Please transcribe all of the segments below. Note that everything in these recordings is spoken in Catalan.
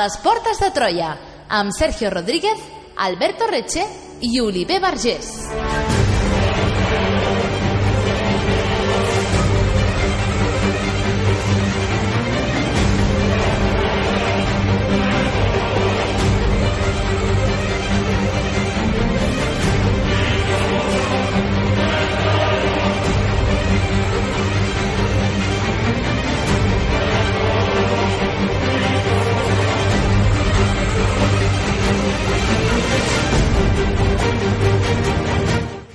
les portes de Troia, amb Sergio Rodríguez, Alberto Reche i Oliver Vergés.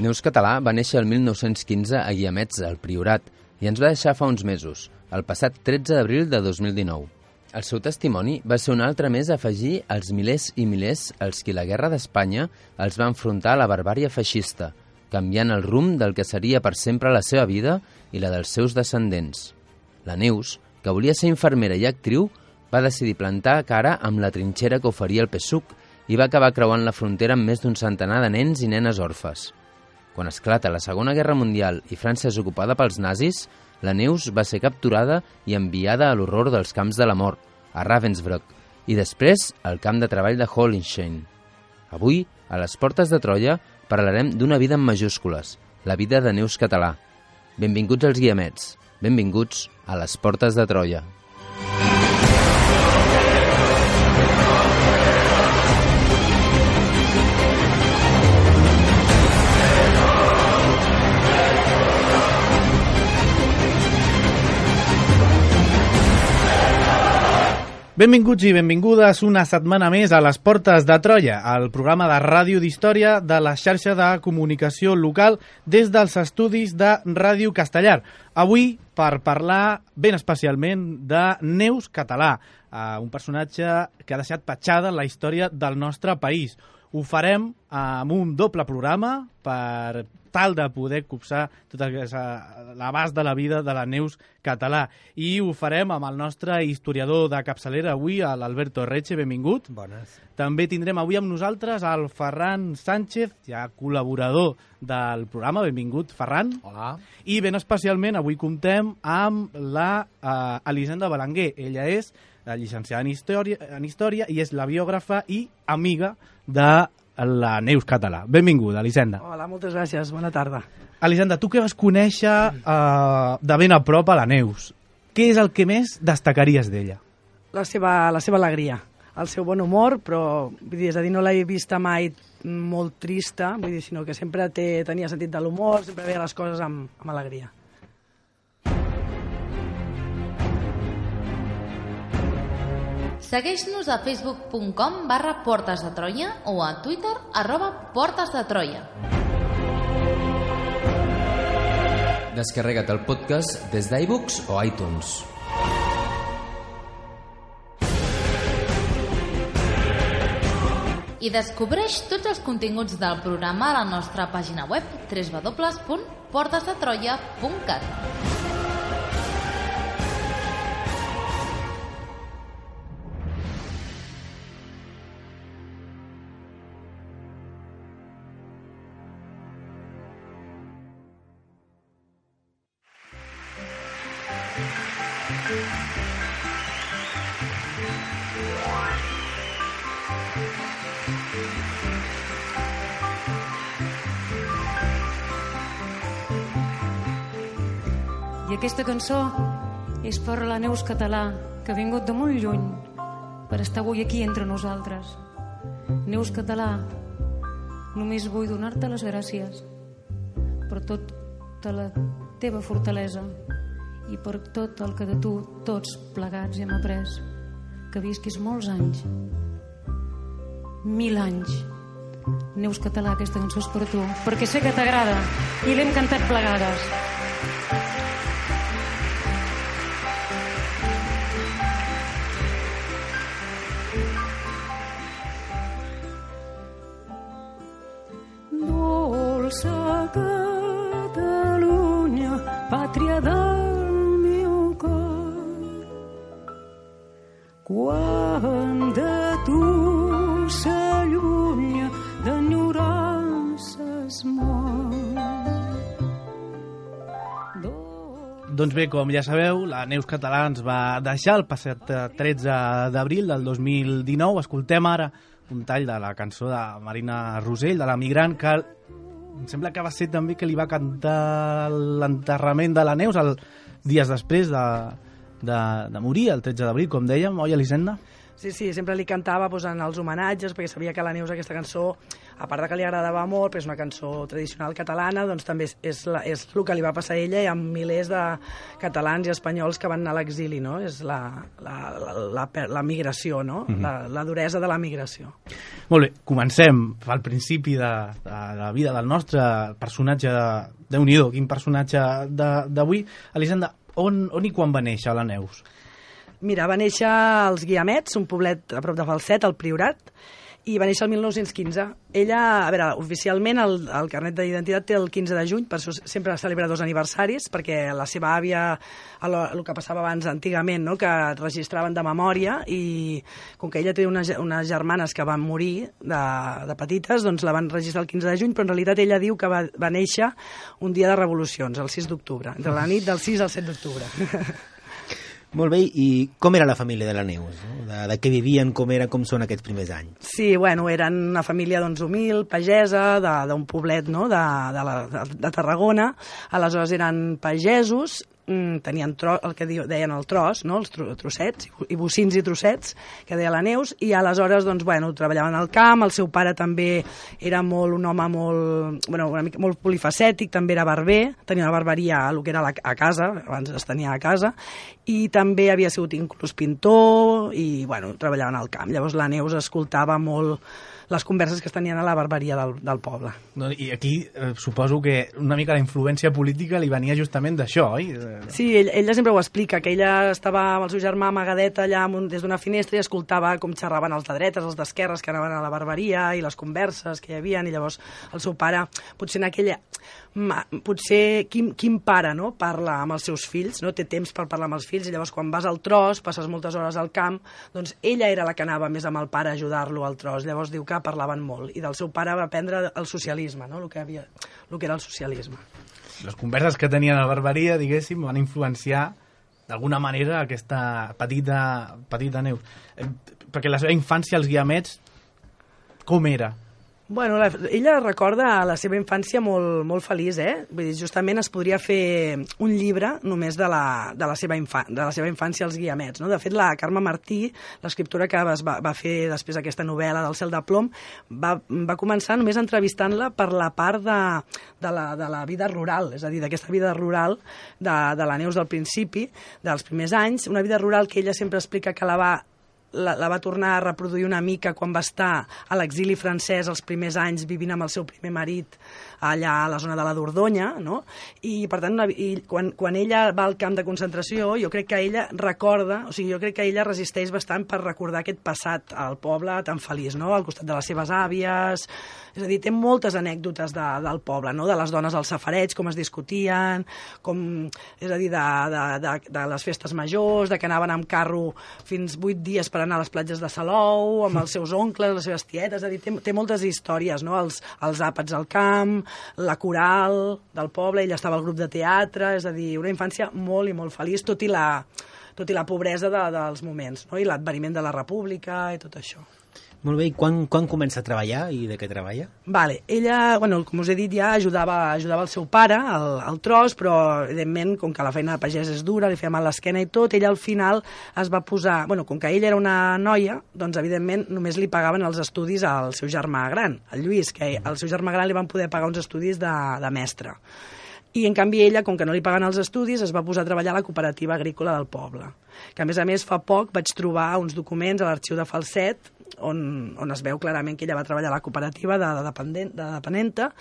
Neus Català va néixer el 1915 a Guiamets, al Priorat, i ens va deixar fa uns mesos, el passat 13 d'abril de 2019. El seu testimoni va ser un altre més a afegir als milers i milers als qui la Guerra d'Espanya els va enfrontar a la barbària feixista, canviant el rumb del que seria per sempre la seva vida i la dels seus descendents. La Neus, que volia ser infermera i actriu, va decidir plantar cara amb la trinxera que oferia el PSUC i va acabar creuant la frontera amb més d'un centenar de nens i nenes orfes. Quan esclata la Segona Guerra Mundial i França és ocupada pels nazis, la Neus va ser capturada i enviada a l'horror dels camps de la mort, a Ravensbrück, i després al camp de treball de Hollenstein. Avui, a les portes de Troia, parlarem d'una vida en majúscules, la vida de Neus Català. Benvinguts als Guiamets, benvinguts a les portes de Troia. Benvinguts i benvingudes una setmana més a les Portes de Troia, el programa de ràdio d'història de la xarxa de comunicació local des dels estudis de Ràdio Castellar. Avui per parlar ben especialment de Neus Català, un personatge que ha deixat petjada en la història del nostre país. Ho farem amb un doble programa per tal de poder copsar tot l'abast de la vida de la Neus Català. I ho farem amb el nostre historiador de capçalera avui, l'Alberto Reche, benvingut. Bones. També tindrem avui amb nosaltres el Ferran Sánchez, ja col·laborador del programa. Benvingut, Ferran. Hola. I ben especialment avui comptem amb la Elisenda Belenguer. Ella és llicenciada en Història i és la biògrafa i amiga de la Neus Català. Benvinguda, Elisenda. Hola, moltes gràcies. Bona tarda. Elisenda, tu que vas conèixer de ben a prop a la Neus, què és el que més destacaries d'ella? La seva alegria, el seu bon humor, però vull dir, és a dir, no l'he vista mai molt trista, vull dir, sinó que sempre tenia sentit de l'humor, sempre veia les coses amb alegria. Segueix-nos a facebook.com/Portes de Troia o a Twitter @Portes de Troia. Descarrega't el podcast des d'iBooks o iTunes. I descobreix tots els continguts del programa a la nostra pàgina web www.portesdetroia.cat. I aquesta cançó és per la Neus Català, que ha vingut de molt lluny per estar avui aquí entre nosaltres. Neus Català, només vull donar-te les gràcies per tota la teva fortalesa i per tot el que de tu tots plegats hem après. Que visquis molts anys, 1000 anys. Neus Català, aquesta cançó és per tu, perquè sé que t'agrada i l'hem cantat plegades. Dolça Catalunya, pàtria del meu cor, quan de tu s'allunya d'enyorances mort. Doncs bé, com ja sabeu, la Neus Català ens va deixar el passat 13 d'abril del 2019. Escoltem ara un tall de la cançó de Marina Rosell, de La Migrant, que em sembla que va ser també que li va cantar l'enterrament de la Neus dies després de morir, el 13 d'abril, com dèiem, oi, Elisenda? Sí, sempre li cantava en els homenatges, perquè sabia que a la Neus aquesta cançó, a part de que li agradava molt, perquè és una cançó tradicional catalana, doncs també és el que li va passar a ella i a milers de catalans i espanyols que van anar a l'exili, no? És la migració, no? La duresa de la migració. Molt bé, comencem al principi de la vida del nostre personatge Déu-n'hi-do, quin personatge d'avui. Elisenda, on i quan va néixer la Neus? Mira, va néixer als Guiamets, un poblet a prop de Falset, al Priorat, i va néixer el 1915. Ella, a veure, oficialment el carnet d'identitat té el 15 de juny, per això sempre celebra 2 aniversaris, perquè la seva àvia, el que passava abans antigament, no?, que registraven de memòria, i com que ella té unes germanes que van morir de petites, doncs la van registrar el 15 de juny, però en realitat ella diu que va néixer un dia de revolucions, el 6 d'octubre, entre la nit del 6 al 7 d'octubre. Molt bé, i com era la família de la Neus? No? De què vivien, com són aquests primers anys? Sí, bueno, eren una família humil, pagesa, d'un poblet, no?, de Tarragona. Aleshores eren pagesos, tenien el que deien el tros, no?, els trossets, i bocins i trossets, que deia la Neus, i aleshores, doncs, bueno, treballaven al camp. El seu pare també era un home molt polifacètic, també era barber, tenia una barberia el que era a casa, abans es tenia a casa, i també havia sigut inclús pintor, i, bueno, treballaven al camp. Llavors la Neus escoltava molt les converses que es tenien a la barberia del poble. I aquí suposo que una mica la influència política li venia justament d'això, oi? Sí, ella sempre ho explica, que ella estava amb el seu germà amagadeta allà des d'una finestra i escoltava com xerraven els de dretes, els d'esquerres que anaven a la barberia i les converses que hi havia, i llavors el seu pare, potser quin pare, no?, parla amb els seus fills, no?, té temps per parlar amb els fills, i llavors quan vas al tros, passes moltes hores al camp, doncs ella era la que anava més amb el pare a ajudar-lo al tros. Llavors diu que parlaven molt, i del seu pare va aprendre el socialisme, no?, el que era el socialisme. Les converses que tenien a la barberia, diguéssim, van influenciar d'alguna manera aquesta petita Neus. Perquè la seva infància als Guiamets, com era? Bueno, ella recorda la seva infància molt feliç, Vull dir, justament es podria fer un llibre només de la seva infància als Guiamets, no? De fet, la Carme Martí, l'escriptora que va fer després aquesta novel·la del Cel de plom, va començar només entrevistant-la per la part de la vida rural, és a dir, d'aquesta vida rural de la Neus del principi, dels primers anys, una vida rural que ella sempre explica que la va tornar a reproduir una mica quan va estar a l'exili francès els primers anys vivint amb el seu primer marit allà a la zona de la Dordonya, no? I per tant, quan ella va al camp de concentració, jo crec que ella resisteix bastant per recordar aquest passat al poble tan feliç, no?, al costat de les seves àvies. És a dir, té moltes anècdotes del poble, no?, de les dones al safareig, com es discutien, és a dir, de les festes majors, de que anaven amb carro fins 8 dies per anar a les platges de Salou, amb els seus oncles, les seves tietes. És a dir, té moltes històries, no?, els àpats al camp, la coral del poble, ella estava al grup de teatre, és a dir, una infància molt i molt feliç, tot i la pobresa dels moments, no?, i l'adveniment de la república i tot això. Molt bé, i quan comença a treballar i de què treballa? Vale, ella, bueno, com us he dit ja, ajudava el seu pare al tros, però evidentment, com que la feina de pagès és dura, li feia mal l'esquena i tot, ella al final es va posar, bueno, com que ella era una noia, doncs evidentment només li pagaven els estudis al seu germà gran, el Lluís, que al seu germà gran li van poder pagar uns estudis de mestre. I, en canvi, ella, com que no li paguen els estudis, es va posar a treballar a la cooperativa agrícola del poble. Que, a més, fa poc vaig trobar uns documents a l'arxiu de Falset on es veu clarament que ella va treballar a la cooperativa de depenenta,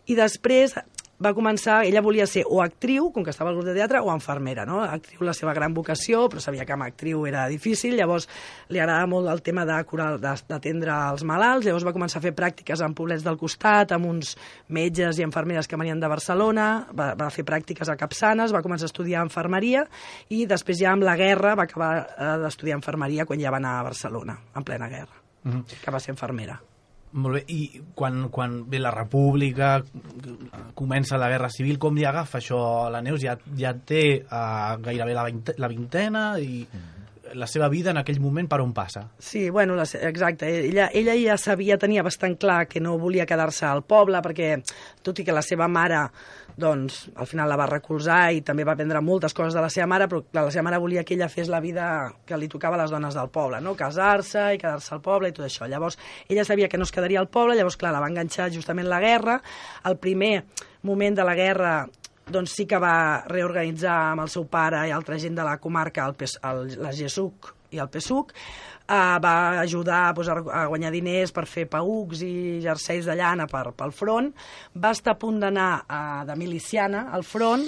i després va començar, ella volia ser o actriu, com que estava al grup de teatre, o infermera, no? Actriu, la seva gran vocació, però sabia que amb actriu era difícil, llavors li agradava molt el tema d'atendre els malalts, llavors va començar a fer pràctiques en poblets del costat, amb uns metges i infermeres que venien de Barcelona, va fer pràctiques a Capçanes, va començar a estudiar infermeria, i després ja amb la guerra va acabar d'estudiar infermeria quan ja va anar a Barcelona, en plena guerra, que va ser infermera. Molt bé, i quan ve la República, comença la Guerra Civil, com li agafa això a la Neus? Ja té gairebé la vintena i la seva vida en aquell moment per on passa? Sí, bueno, exacte. Ella ja sabia, tenia bastant clar que no volia quedar-se al poble, perquè tot i que la seva mare doncs al final la va recolzar i també va aprendre moltes coses de la seva mare, però la seva mare volia que ella fes la vida que li tocava a les dones del poble, no? Casar-se i quedar-se al poble i tot això. Llavors, ella sabia que no es quedaria al poble, llavors, clar, la va enganxar justament la guerra. El primer moment de la guerra doncs sí que va reorganitzar amb el seu pare i altra gent de la comarca, la GESUC i el PSUC, va ajudar a guanyar diners per fer paücs i jerseis de llana pel front. Va estar a punt d'anar de miliciana al front,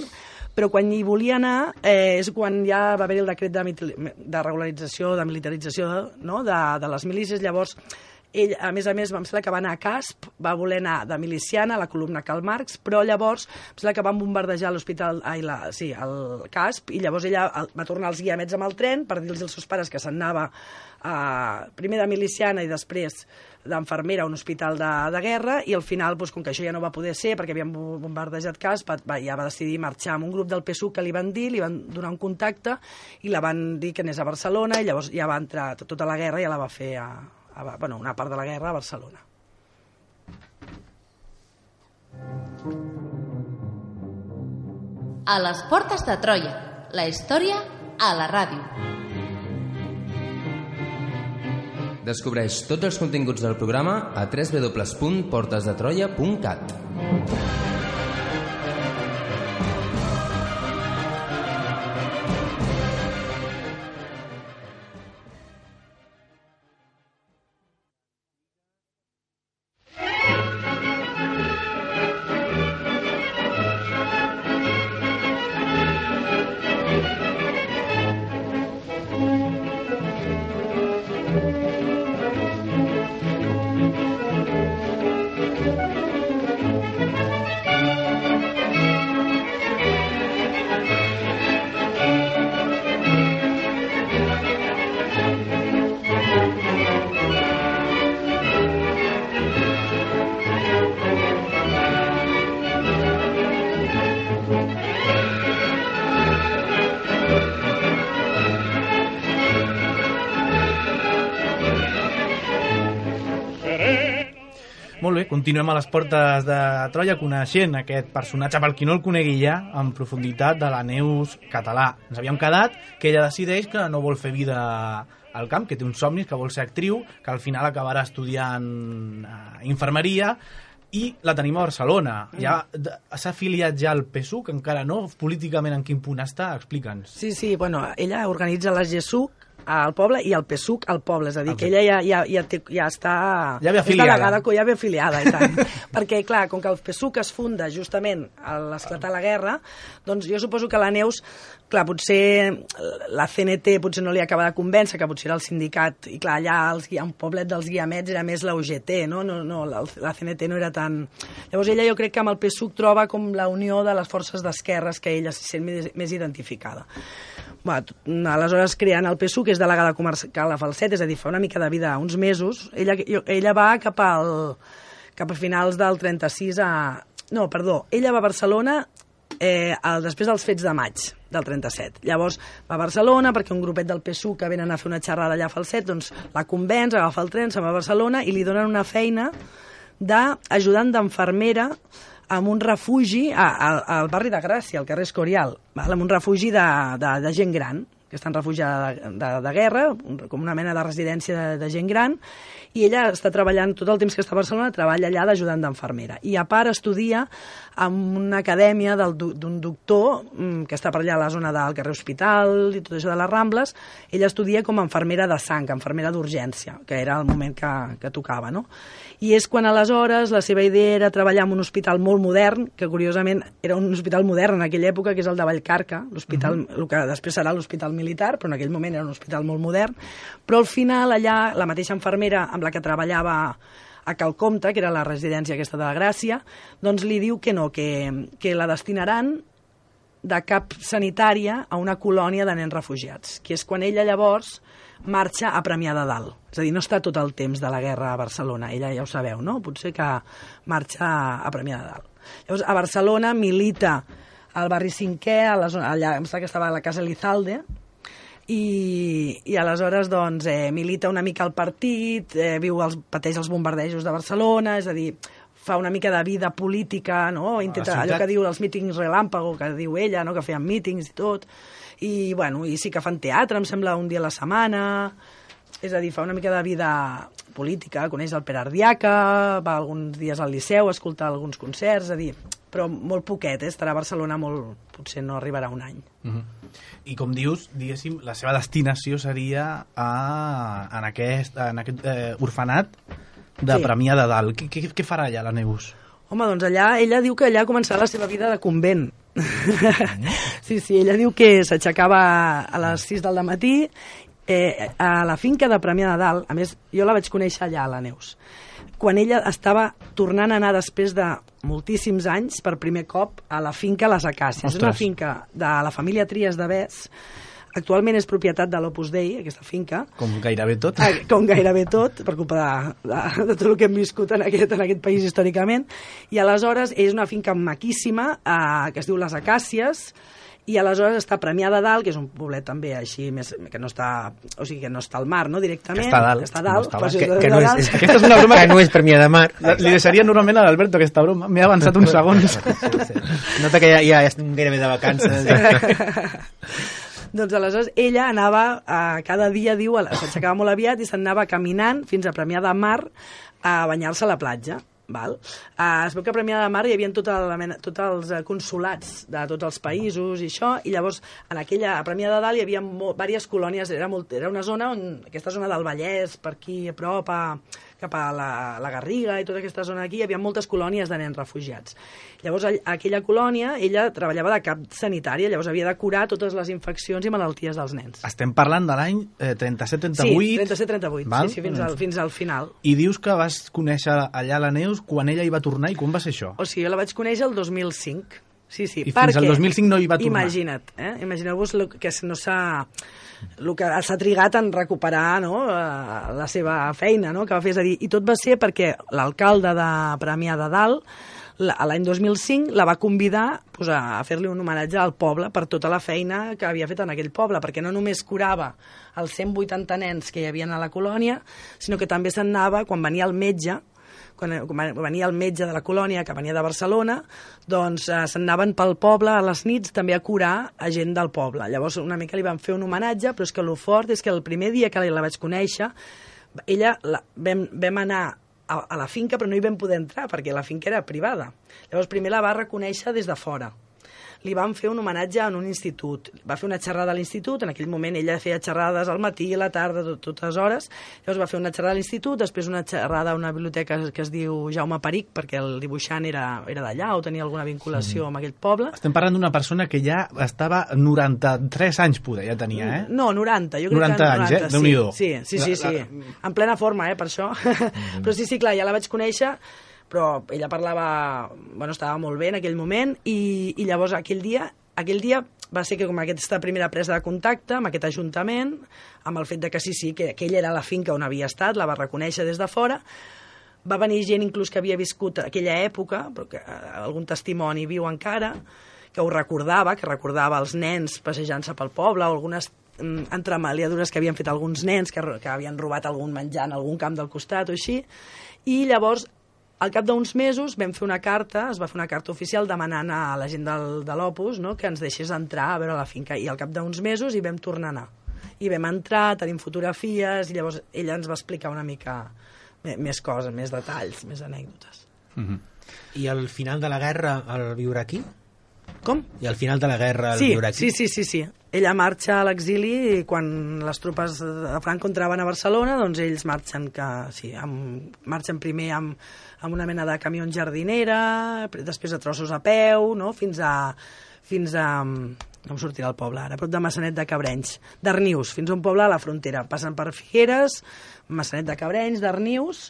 però quan hi volia anar és quan ja va haver el decret de regularització, de militarització, no? de les milícies. Llavors, ell, a més, em sembla que va anar a Casp, va voler anar de miliciana a la columna Karl Marx, però llavors em sembla que van bombardejar l'hospital, el Casp, i llavors ella va tornar als Guiamets amb el tren per dir-los als seus pares que se'n anava primer de miliciana i després d'enfermera a un hospital de guerra, i al final, doncs, com que això ja no va poder ser perquè havien bombardejat Casp, ja va decidir marxar amb un grup del PSUC que li van dir, li van donar un contacte i la van dir que anés a Barcelona, i llavors ja va entrar tota la guerra, ja la va fer una part de la guerra a Barcelona. A les portes de Troia, la història a la ràdio. Descobreix tots els continguts del programa a www.portesdetroia.cat. Molt bé, continuem a les portes de Troia coneixent aquest personatge, per qui no el conegui ja, en profunditat, de la Neus Català. Ens havíem quedat que ella decideix que no vol fer vida al camp, que té uns somnis, que vol ser actriu, que al final acabarà estudiant infermeria, i la tenim a Barcelona. Ja s'ha afiliat ja al PSUC, encara no? Políticament en quin punt està? Explica'ns. Sí, bueno, ella organitza la GESUC al poble i el PSUC al poble, és a dir, que ella ja està... Ja ve afiliada. Ja ve afiliada, i tant. Perquè, clar, com que el PSUC es funda justament a l'esclatar la guerra, doncs jo suposo que la Neus, clar, potser la CNT potser no li acaba de convèncer, que potser era el sindicat, i clar, allà un poblet dels Guiamets era més la UGT, no, la CNT no era tan... Llavors ella jo crec que amb el PSUC troba com la unió de les forces d'esquerres que ella se sent més identificada. Aleshores creant el PSUC, que és delegada comarcal a Falset, és a dir, fa una mica de vida, uns mesos. Ella va cap a finals del 36 ella va a Barcelona després dels fets de maig del 37. Llavors va a Barcelona perquè un grupet del PSUC que venen a fer una xerrada allà a Falset, doncs la convenç, agafa el tren, se'n va a Barcelona i li donen una feina d'ajudant d'enfermera en un refugi al barri de Gràcia, al carrer Escorial, en un refugi de gent gran, que estan refugiada de guerra, com una mena de residència de gent gran, i ella està treballant, tot el temps que està a Barcelona, treballa allà d'ajudant d'enfermera. I a part estudia en una acadèmia d'un doctor que està per allà a la zona del carrer Hospital i tot això de les Rambles. Ella estudia com a infermera de sang, infermera d'urgència, que era el moment que tocava, no? I és quan aleshores la seva idea era treballar en un hospital molt modern, que curiosament era un hospital modern en aquella època, que és el de Vallcarca, l'hospital, el que després serà l'hospital militar, però en aquell moment era un hospital molt modern. Però al final allà la mateixa infermera amb la que treballava a Calcomte, que era la residència aquesta de la Gràcia, doncs li diu que no, que la destinaran de cap sanitària a una colònia de nens refugiats, que és quan ella llavors marxa a Premià de Dalt. És a dir, no està tot el temps de la guerra a Barcelona, ella ja ho sabeu, no? Potser que marxa a Premià de Dalt. Llavors, a Barcelona milita al barri Cinquè, allà em sembla que estava a la Casa Elizalde, i aleshores doncs, milita una mica al partit, pateix els bombardejos de Barcelona, és a dir, fa una mica de vida política, no? Intenta, allò que diu els mítings relàmpago, que diu ella, no? Que feien mítings i tot, i, bueno, i sí que fan teatre, em sembla, un dia a la setmana, és a dir, fa una mica de vida política, coneix el Pere Ardiaca, va alguns dies al Liceu a escoltar alguns concerts, és a dir, però molt poquet, estarà a Barcelona potser no arribarà un any. I com dius, diguéssim, la seva destinació seria en aquest orfenat de Premià de Dalt. Què farà allà la Neus? Home, doncs ella diu que allà començarà la seva vida de convent. Sí, ella diu que s'aixecava a les 6 del matí a la finca de Premià de Dalt. A més, jo la vaig conèixer allà, la Neus, quan ella estava tornant a anar després de moltíssims anys per primer cop a la finca Les Acàcies. Ostres. És una finca de la família Trias de Bes. Actualment és propietat de l'Opus Dei, aquesta finca. Com gairebé tot. Com gairebé tot, per culpa de tot el que hem viscut en aquest país històricament. I aleshores és una finca maquíssima que es diu Les Acàcies, i aleshores està a Premià de Dalt, que és un poblet també així, que no està, o sigui, que no està al mar, no, directament. Que està a dalt. Està a dalt. Aquesta és una broma que no és Premià de Mar. Li deixaria normalment a l'Alberto aquesta broma. M'he avançat uns segons. Nota que ja estem gairebé de vacances. Doncs aleshores ella anava, cada dia, diu, s'aixecava molt aviat i s'anava caminant fins a Premià de Mar a banyar-se a la platja. Val? Es veu que a Premià de Mar hi havia tots els consulats de tots els països i això, i llavors a Premià de Dalt hi havia diverses colònies, era una zona aquesta zona del Vallès, per aquí a prop, cap a la Garriga i tota aquesta zona aquí, hi havia moltes colònies de nens refugiats. Llavors a aquella colònia ella treballava de cap sanitària, llavors havia de curar totes les infeccions i malalties dels nens. Estem parlant de l'any 37-38. Sí, 37-38, sí, fins al final. I dius que vas conèixer allà la Neus quan ella hi va tornar, i quan va ser això? O sigui, jo la vaig conèixer el 2005. Sí, I fins al 2005 no hi va tornar. Imagina't, imagineu-vos que no el que s'ha trigat en recuperar, no, la seva feina, no, que va fer, és a dir, i tot va ser perquè l'alcalde de Premià de Dalt l'any 2005 la va convidar a fer-li un homenatge al poble per tota la feina que havia fet en aquell poble, perquè no només curava els 180 nens que hi havia a la colònia, sinó que també se'n anava, quan venia el metge de la colònia, que venia de Barcelona, doncs se'n anaven pel poble a les nits també a curar a gent del poble. Llavors una mica li van fer un homenatge, però és que el fort és que el primer dia que la vaig conèixer, vam anar a la finca, però no hi vam poder entrar perquè la finca era privada. Llavors primer la va reconèixer des de fora. Li van fer un homenatge en un institut. Va fer una xerrada a l'institut, en aquell moment ella feia xerrades al matí i a la tarda, totes hores. Llavors va fer una xerrada a l'institut, després una xerrada a una biblioteca que es diu Jaume Peric, perquè el dibuixant era d'allà o tenia alguna vinculació amb aquell poble. Estem parlant d'una persona que ja estava 93 anys, poder, ja tenia, eh? No, 90, jo crec 90 anys, eh? Déu-n'hi-do. Sí. En plena forma, per això. Però sí, clar, ja la vaig conèixer, però ella estava molt bé en aquell moment, i llavors aquell dia va ser que com aquesta primera presa de contacte amb aquest ajuntament, amb el fet de que sí, que aquella era la finca on havia estat, la va reconèixer des de fora, va venir gent inclús que havia viscut aquella època, però que algun testimoni viu encara, que ho recordava, els nens passejant-se pel poble, o algunes entremaliadures que havien fet alguns nens que havien robat algun menjar en algun camp del costat o així, i llavors al cap d'uns mesos es va fer una carta oficial demanant a la gent de l'Opus, no, que ens deixés entrar a veure la finca, i al cap d'uns mesos hi vam tornar a anar. I vam entrar, tenim fotografies, i llavors ella ens va explicar una mica més coses, més detalls, més anècdotes. I al final de la guerra el viure aquí? Com? I al final de la guerra el viure aquí? Sí. Ella marxa a l'exili i quan les tropes de Franco entraven a Barcelona, doncs ells marxen primer amb una mena de camió jardinera, després a trossos a peu, no? fins a no em sortirà el poble ara, prop de Massanet de Cabrenys, d'Arnius, fins a un poble a la frontera. Passen per Figueres, Massanet de Cabrenys, d'Arnius,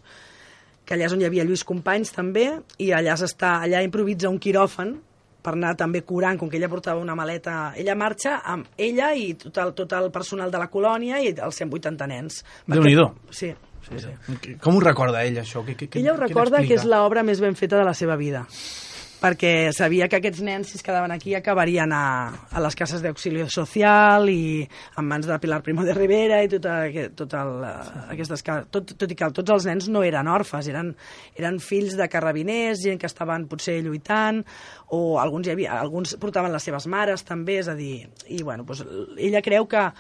que allà és on hi havia Lluís Companys també, i allà improvisa un quiròfan per anar també curant, com que ella portava una maleta. Ella marxa amb ella i tot el personal de la colònia i els 180 nens. Déu-n'hi-do. Sí. Com ho recorda ella, això? Ella ho recorda que és l'obra més ben feta de la seva vida, perquè sabia que aquests nens, si es quedaven aquí, acabarien a les cases d'auxili social i en mans de Pilar Primo de Rivera i aquestes cases. Tot i que tots els nens no eren orfes, eren fills de carrabiners, gent que estaven potser lluitant, o alguns portaven les seves mares també, és a dir, i bueno, doncs, ella creu que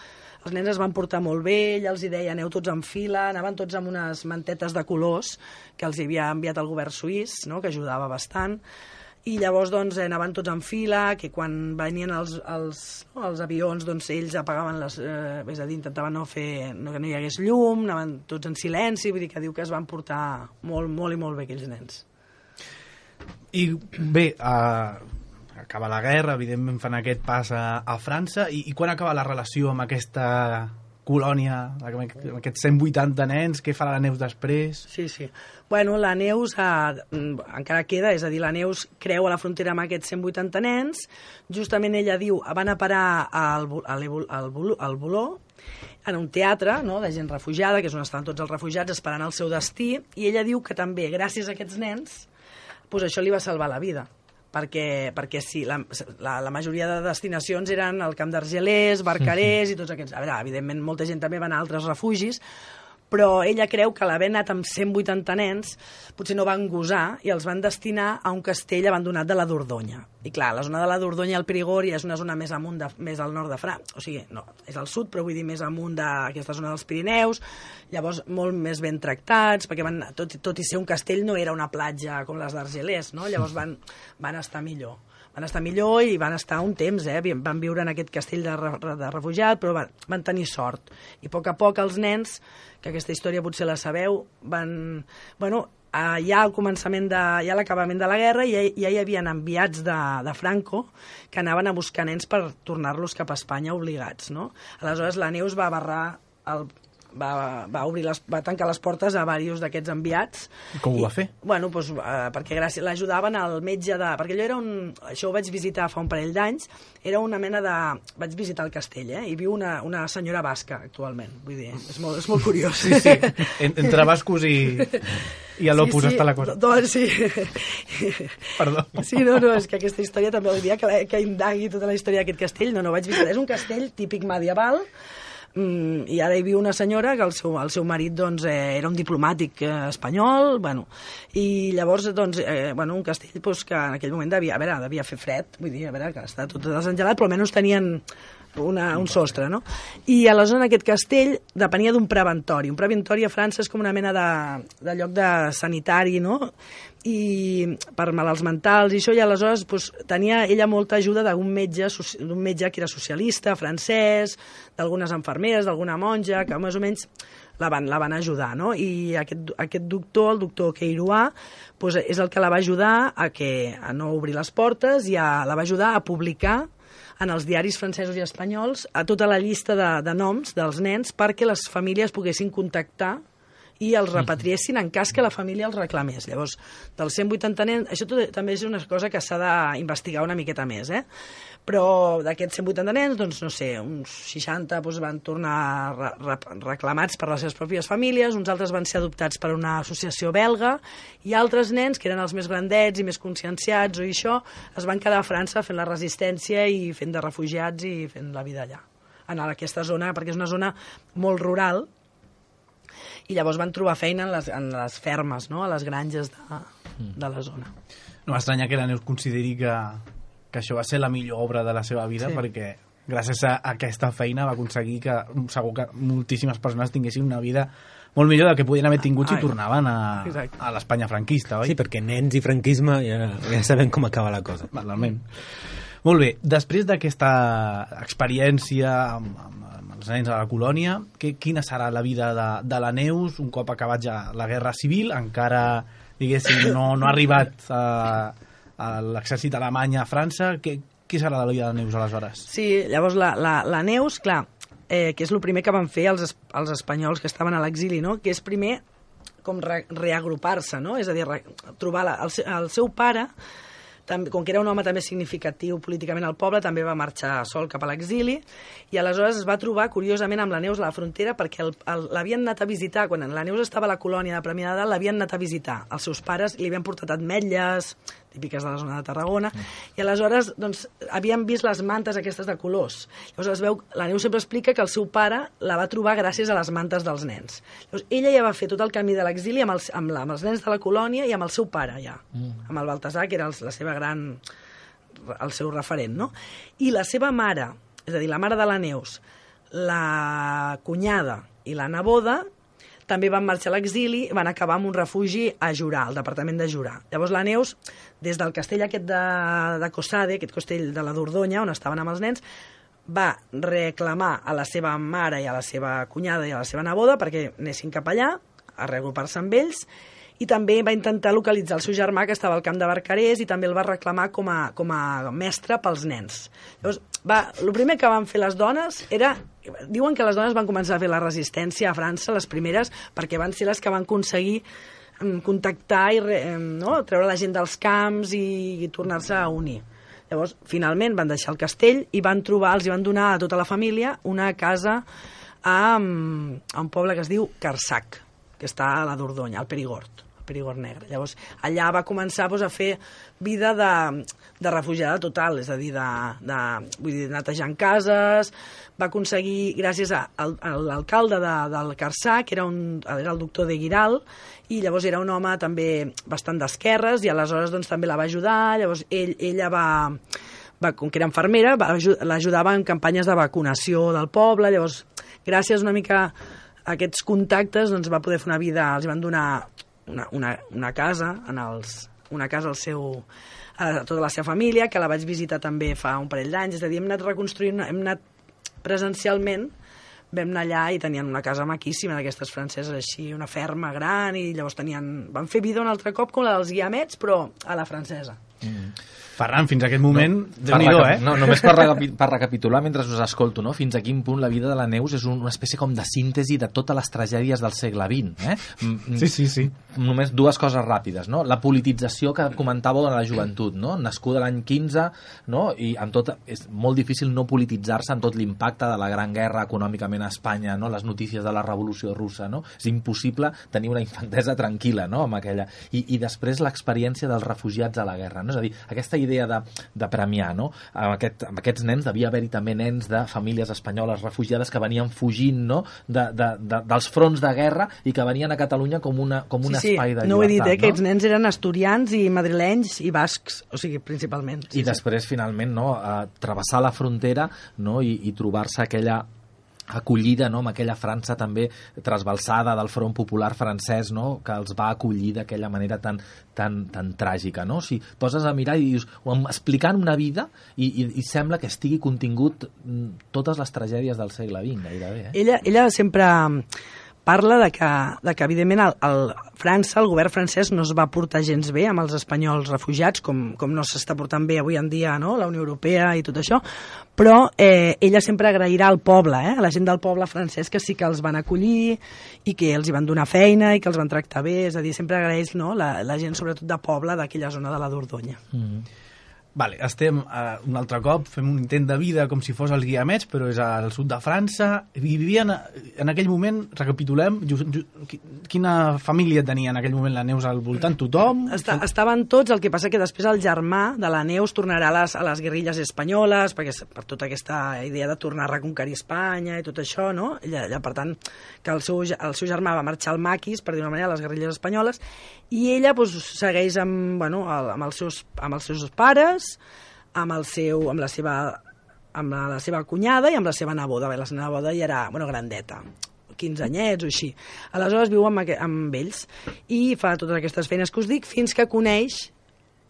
els nens es van portar molt bé, ella els deia aneu tots en fila, anaven tots amb unes mantetes de colors que els havia enviat el govern suís, no?, que ajudava bastant, i llavors doncs anaven tots en fila, que quan venien els avions doncs ells apagaven és a dir, intentaven que no hi hagués llum, anaven tots en silenci, vull dir que diu que es van portar molt, molt i molt bé aquells nens. I bé, acaba la guerra, evidentment fan aquest pas a França, i quan acaba la relació amb aquesta colònia, amb aquests 180 nens? Què farà la Neus després? Sí. Bueno, la Neus encara queda, és a dir, la Neus creu a la frontera amb aquests 180 nens. Justament ella diu, van a parar al Boló, en un teatre, no?, de gent refugiada, que és on estan tots els refugiats esperant el seu destí, i ella diu que també, gràcies a aquests nens, doncs això li va salvar la vida. Perquè sí, la majoria de destinacions eren el Camp d'Argelers, Barcarès i tots aquests. A veure, evidentment, molta gent també va anar a altres refugis, però ella creu que l'haver anat amb 180 nens potser no van gosar i els van destinar a un castell abandonat de la Dordonya. I clar, la zona de la Dordonya i el Perigord és una zona més amunt, més al nord de França, o sigui, no, és al sud, però vull dir més amunt d'aquesta zona dels Pirineus, llavors molt més ben tractats, perquè tot i ser un castell no era una platja com les d'Argelers, no? Llavors van estar millor. Van estar millor i van estar un temps, van viure en aquest castell de refugiat, però van tenir sort. I a poc els nens, que aquesta història potser la sabeu, ja al començament ja a l'acabament de la guerra ja hi havia enviats de Franco que anaven a buscar nens per tornar-los cap a Espanya obligats, no? Aleshores la Neus va va tancar les portes a diversos d'aquests enviats. Com ho va fer? Bueno, doncs, perquè l'ajudaven al metge de... Perquè això ho vaig visitar fa un parell d'anys, era una mena de... Vaig visitar el castell, i viu una senyora basca actualment, vull dir, és molt curiós. Sí. Entre bascos i a l'Opus està la cosa. Sí. Perdó. Sí, no, és que aquesta història també el dia que indagui tota la història d'aquest castell, no vaig visitar. És un castell típic medieval, i ara hi viu una senyora que el seu marit doncs, era un diplomàtic espanyol, i llavors un castell que en aquell moment devia fer fred, vull dir, que està tot desengelat, però almenys tenien un sostre, no? I aleshores en aquest castell depenia d'un preventori. Un preventori a França és com una mena de lloc de sanitari, no?, i per malalts mentals i això, i aleshores tenia ella molta ajuda d'un metge que era socialista, francès, d'algunes infermeres, d'alguna monja, que més o menys la van ajudar, no? I aquest doctor, el doctor Queiroa, és el que la va ajudar a no obrir les portes i la va ajudar a publicar en els diaris francesos i espanyols a tota la llista de noms dels nens perquè les famílies poguessin contactar i els repatriessin en cas que la família els reclamés. Llavors, dels 180 nens, això també és una cosa que s'ha d'investigar una miqueta més, però d'aquests 180 nens, doncs, no sé, uns 60 van tornar reclamats per les seves pròpies famílies, uns altres van ser adoptats per una associació belga, i altres nens, que eren els més grandets i més conscienciats o això, es van quedar a França fent la resistència i fent de refugiats i fent la vida allà, en aquesta zona, perquè és una zona molt rural, i llavors van trobar feina en les fermes, no?, a les granges de la zona. No m'estranya que la Neus consideri que això va ser la millor obra de la seva vida, perquè gràcies a aquesta feina va aconseguir que segur que moltíssimes persones tinguessin una vida molt millor del que podien haver tingut si tornaven a l'Espanya franquista, oi? Sí, perquè nens i franquisme ja sabem com acaba la cosa. Totalment. Molt bé, després d'aquesta experiència amb els nens a la colònia, quina serà la vida de la Neus un cop acabat ja la guerra civil? Encara, diguéssim, no ha arribat a l'exèrcit alemany a França. Què serà la vida de la Neus aleshores? Sí, llavors la Neus, clar, que és el primer que van fer els espanyols que estaven a l'exili, no?, que és primer com reagrupar-se, no?, és a dir, trobar el seu pare com que era un home també significatiu políticament al poble, també va marxar sol cap a l'exili, i aleshores es va trobar, curiosament, amb la Neus a la frontera, perquè l'havien anat a visitar, quan la Neus estava a la colònia de Premià de Dalt, l'havien anat a visitar. Els seus pares li havien portat ametlles, típiques de la zona de Tarragona, i aleshores doncs, havien vist les mantes aquestes de colors. Llavors es veu, la Neus sempre explica que el seu pare la va trobar gràcies a les mantes dels nens. Llavors, ella ja va fer tot el camí de l'exili amb els nens de la colònia i amb el seu pare, ja, amb el Baltasar, que era la seva el seu referent, no? I la seva mare, és a dir, la mare de la Neus, la cunyada i la neboda, també van marxar a l'exili, van acabar en un refugi a Jurà, al departament de Jurà. Llavors la Neus, des del castell aquest de Cossade, aquest castell de la Dordonya, on estaven amb els nens, va reclamar a la seva mare i a la seva cunyada i a la seva neboda perquè anessin cap allà, a reagrupar-se amb ells, i també va intentar localitzar el seu germà, que estava al camp de Barcarès, i també el va reclamar com a mestre pels nens. Llavors, el primer que van fer les dones era... Diuen que les dones van començar a fer la resistència a França, les primeres, perquè van ser les que van aconseguir contactar i treure la gent dels camps i tornar-se a unir. Llavors, finalment, van deixar el castell i els van donar a tota la família una casa a un poble que es diu Carsac, que està a la Dordonya, al Perigord Negre. Llavors, allà va començar a fer vida de refugiada total, és a dir, netejant cases, va aconseguir, gràcies a l'alcalde del Carsac, que era el doctor de Guiral, i llavors era un home també bastant d'esquerres, i aleshores doncs, també la va ajudar. Llavors ella com que era infermera, l'ajudava en campanyes de vacunació del poble. Llavors, gràcies una mica a aquests contactes, doncs va poder fer una vida, els van donar una casa a tota la seva família, que la vaig visitar també fa un parell d'anys. És a dir, hem anat reconstruint, hem anat presencialment, vam anar allà i tenien una casa maquíssima d'aquestes franceses així, una ferma gran, i llavors van fer vida un altre cop com la dels Guiamets, però a la francesa. Ferran, fins a aquest moment, Déu-n'hi-do, No, només per recapitular mentre us escolto, no? Fins a quin punt la vida de la Neus és una espècie com de síntesi de totes les tragèdies del segle XX. Sí. Només dues coses ràpides, no? La politització que comentàveu de la joventut, no? Nascuda l'any 15, no? I amb tot, és molt difícil no polititzar-se amb tot l'impacte de la Gran Guerra econòmicament a Espanya, no? Les notícies de la Revolució Russa, no? És impossible tenir una infantesa tranquil·la, no? Amb aquella. I després l'experiència dels refugiats a la guerra, no? És a dir, aquesta idea de premiar, no? Amb aquests nens devia haver-hi també nens de famílies espanyoles refugiades que venien fugint, no? dels fronts de guerra i que venien a Catalunya com un espai de llibertat. No ho he dit, aquests nens eren asturians i madrilenys i bascs, o sigui, principalment. I després, finalment, no? Travessar la frontera, no? I trobar-se aquella acollida, no? Amb aquella França també trasbalsada del Front Popular francès, no? Que els va acollir d'aquella manera tan tràgica, no? Si poses a mirar i dius, explicant una vida i sembla que estigui contingut totes les tragèdies del segle XX, gairebé. Ella sempre parla de que evidentment, França, el govern francès, no es va portar gens bé amb els espanyols refugiats, com no s'està portant bé avui en dia, no? La Unió Europea i tot això, però ella sempre agrairà al poble, a la gent del poble francès, que sí que els van acollir i que els hi van donar feina i que els van tractar bé, és a dir, sempre agraeix, no? la gent, sobretot de poble, d'aquella zona de la Dordonya. Vale, estem un altre cop, fem un intent de vida com si fos els Guiamets, però és al sud de França, i vivien en aquell moment, recapitulem, quina família tenia en aquell moment la Neus al voltant? Tothom? Estaven tots, el que passa que després el germà de la Neus tornarà a les guerrilles espanyoles, perquè per tota aquesta idea de tornar a reconquerir Espanya i tot això, no? Ella, per tant, que el seu germà va marxar al maquis, per dir una manera, a les guerrilles espanyoles, i ella segueix amb els seus pares, amb la seva cunyada i amb la seva neboda. La seva neboda ja era grandeta, 15 anyets o així. Aleshores viu amb ells i fa totes aquestes feines que us dic, fins que coneix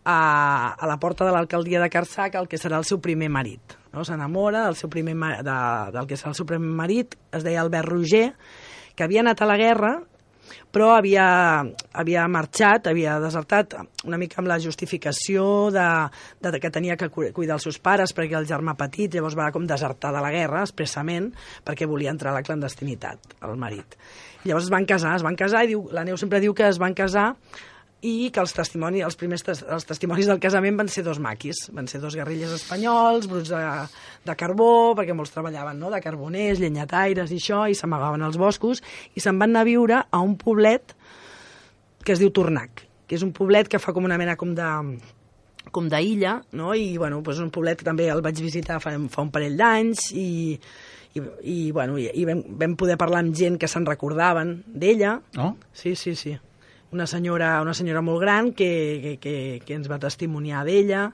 a la porta de l'alcaldia de Carsac el que serà el seu primer marit. No? S'enamora del que serà el seu primer marit, es deia Albert Roger, que havia anat a la guerra, però havia marxat, havia desertat una mica amb la justificació que tenia que cuidar els seus pares perquè el germà petit, llavors va com desertar de la guerra expressament perquè volia entrar a la clandestinitat, el marit. Llavors es van casar i la Neus sempre diu que es van casar i que els testimonis del casament van ser 2 maquis, van ser 2 guerrillers espanyols, bruts de carbó, perquè molts treballaven, no?, de carboners, llenyataires i això, i s'amagaven als boscos, i se'n van anar a viure a un poblet que es diu Tornac, que és un poblet que fa com una mena com d'illa, no?, i bueno, doncs un poblet que també el vaig visitar fa un parell d'anys, i vam poder parlar amb gent que se'n recordaven d'ella. Oh? Sí. Una senyora molt gran que ens va testimoniar d'ella,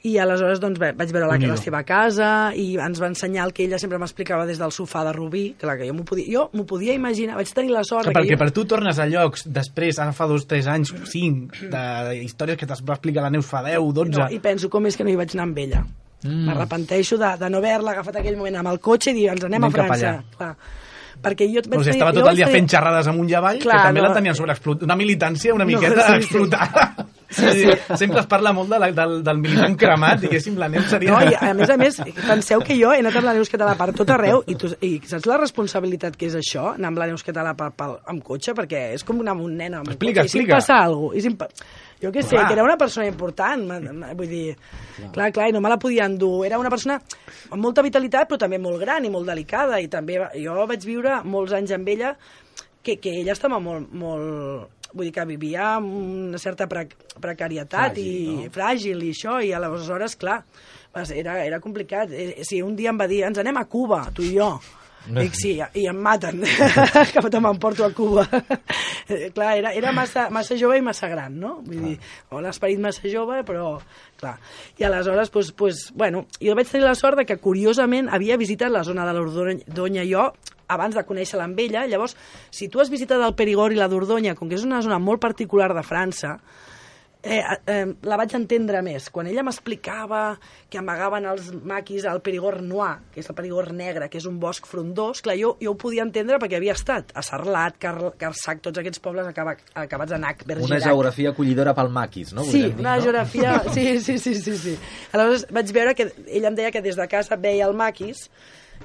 i aleshores doncs, vaig veure la seva casa i ens va ensenyar el que ella sempre m'explicava des del sofà de Rubí, clar, que jo m'ho podia imaginar, vaig tenir la sort... Perquè per tu tornes a llocs després, ara fa 2, 3 anys, 5, de històries que t'es va explicar la Neus fa 10, 12... No, i penso com és que no hi vaig anar amb ella. M'arrepenteixo de no haver-la agafat aquell moment amb el cotxe i dir, ens anem a França. Clar. Perquè jo estava tot el dia fent xerrades amunt i avall, que també la tenien sobreexplotada. Una militància una miqueta explotada. Sí. Sempre es parla molt del militant cremat, diguéssim, la Neus seria... No, i a més, penseu que jo he anat amb la Neus Català per tot arreu, i saps la responsabilitat que és això, anar amb la Neus Català amb cotxe? Perquè és com anar amb un nen amb un cotxe. I si em passa alguna cosa... Jo què sé, que era una persona important, vull dir, clar, i no me la podia endur. Era una persona amb molta vitalitat, però també molt gran i molt delicada, i també jo vaig viure molts anys amb ella, que ella estava molt... Vull dir que vivia amb una certa precarietat fràgil i això, i aleshores, clar, era complicat. Si un dia em va dir, ens anem a Cuba, tu i jo, dic sí, i em maten, que m'emporto a Cuba. Clar, era massa jove i massa gran, no? Vull dir, l'esperit massa jove, però clar. I aleshores, bueno, jo vaig tenir la sort de que, curiosament, havia visitat la zona de la Dordonya jo, abans de conèixer-la amb ella. Llavors, si tu has visitat el Perigord i la Dordonya, com que és una zona molt particular de França, la vaig entendre més. Quan ella m'explicava que amagaven els maquis al Perigord Noir, que és el Perigord negre, que és un bosc frondós, clar, jo ho podia entendre perquè havia estat a Sarlat, Carsac, tots aquests pobles acabats a Nac, Bergerac. Una geografia acollidora pel maquis, no? Sí, una geografia... Sí. Aleshores vaig veure que ella em deia que des de casa veia el maquis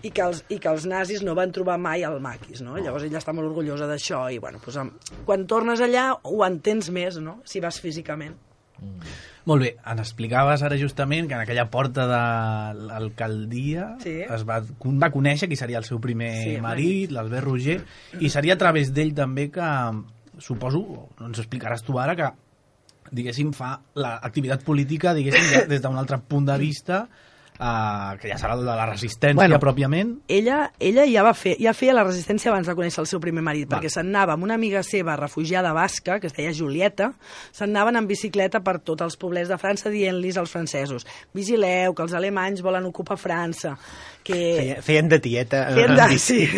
i que els nazis no van trobar mai el maquis, no? Llavors ella està molt orgullosa d'això i, bueno, quan tornes allà ho entens més, no?, si vas físicament. Molt bé, ens explicaves ara justament que en aquella porta de l'alcaldia va conèixer qui seria el seu primer marit, l'Albert Roger, i seria a través d'ell també que, suposo, ens explicaràs tu ara, que, diguéssim, fa l'activitat política, diguéssim, des d'un altre punt de vista, que ja serà de la resistència pròpiament. Ella ja feia la resistència abans de conèixer el seu primer marit, perquè se'n anava amb una amiga seva refugiada basca, que es deia Julieta, se'n anaven en bicicleta per tots els poblets de França dient-los als francesos: vigileu, que els alemanys volen ocupar França. Feien de tieta. Sí.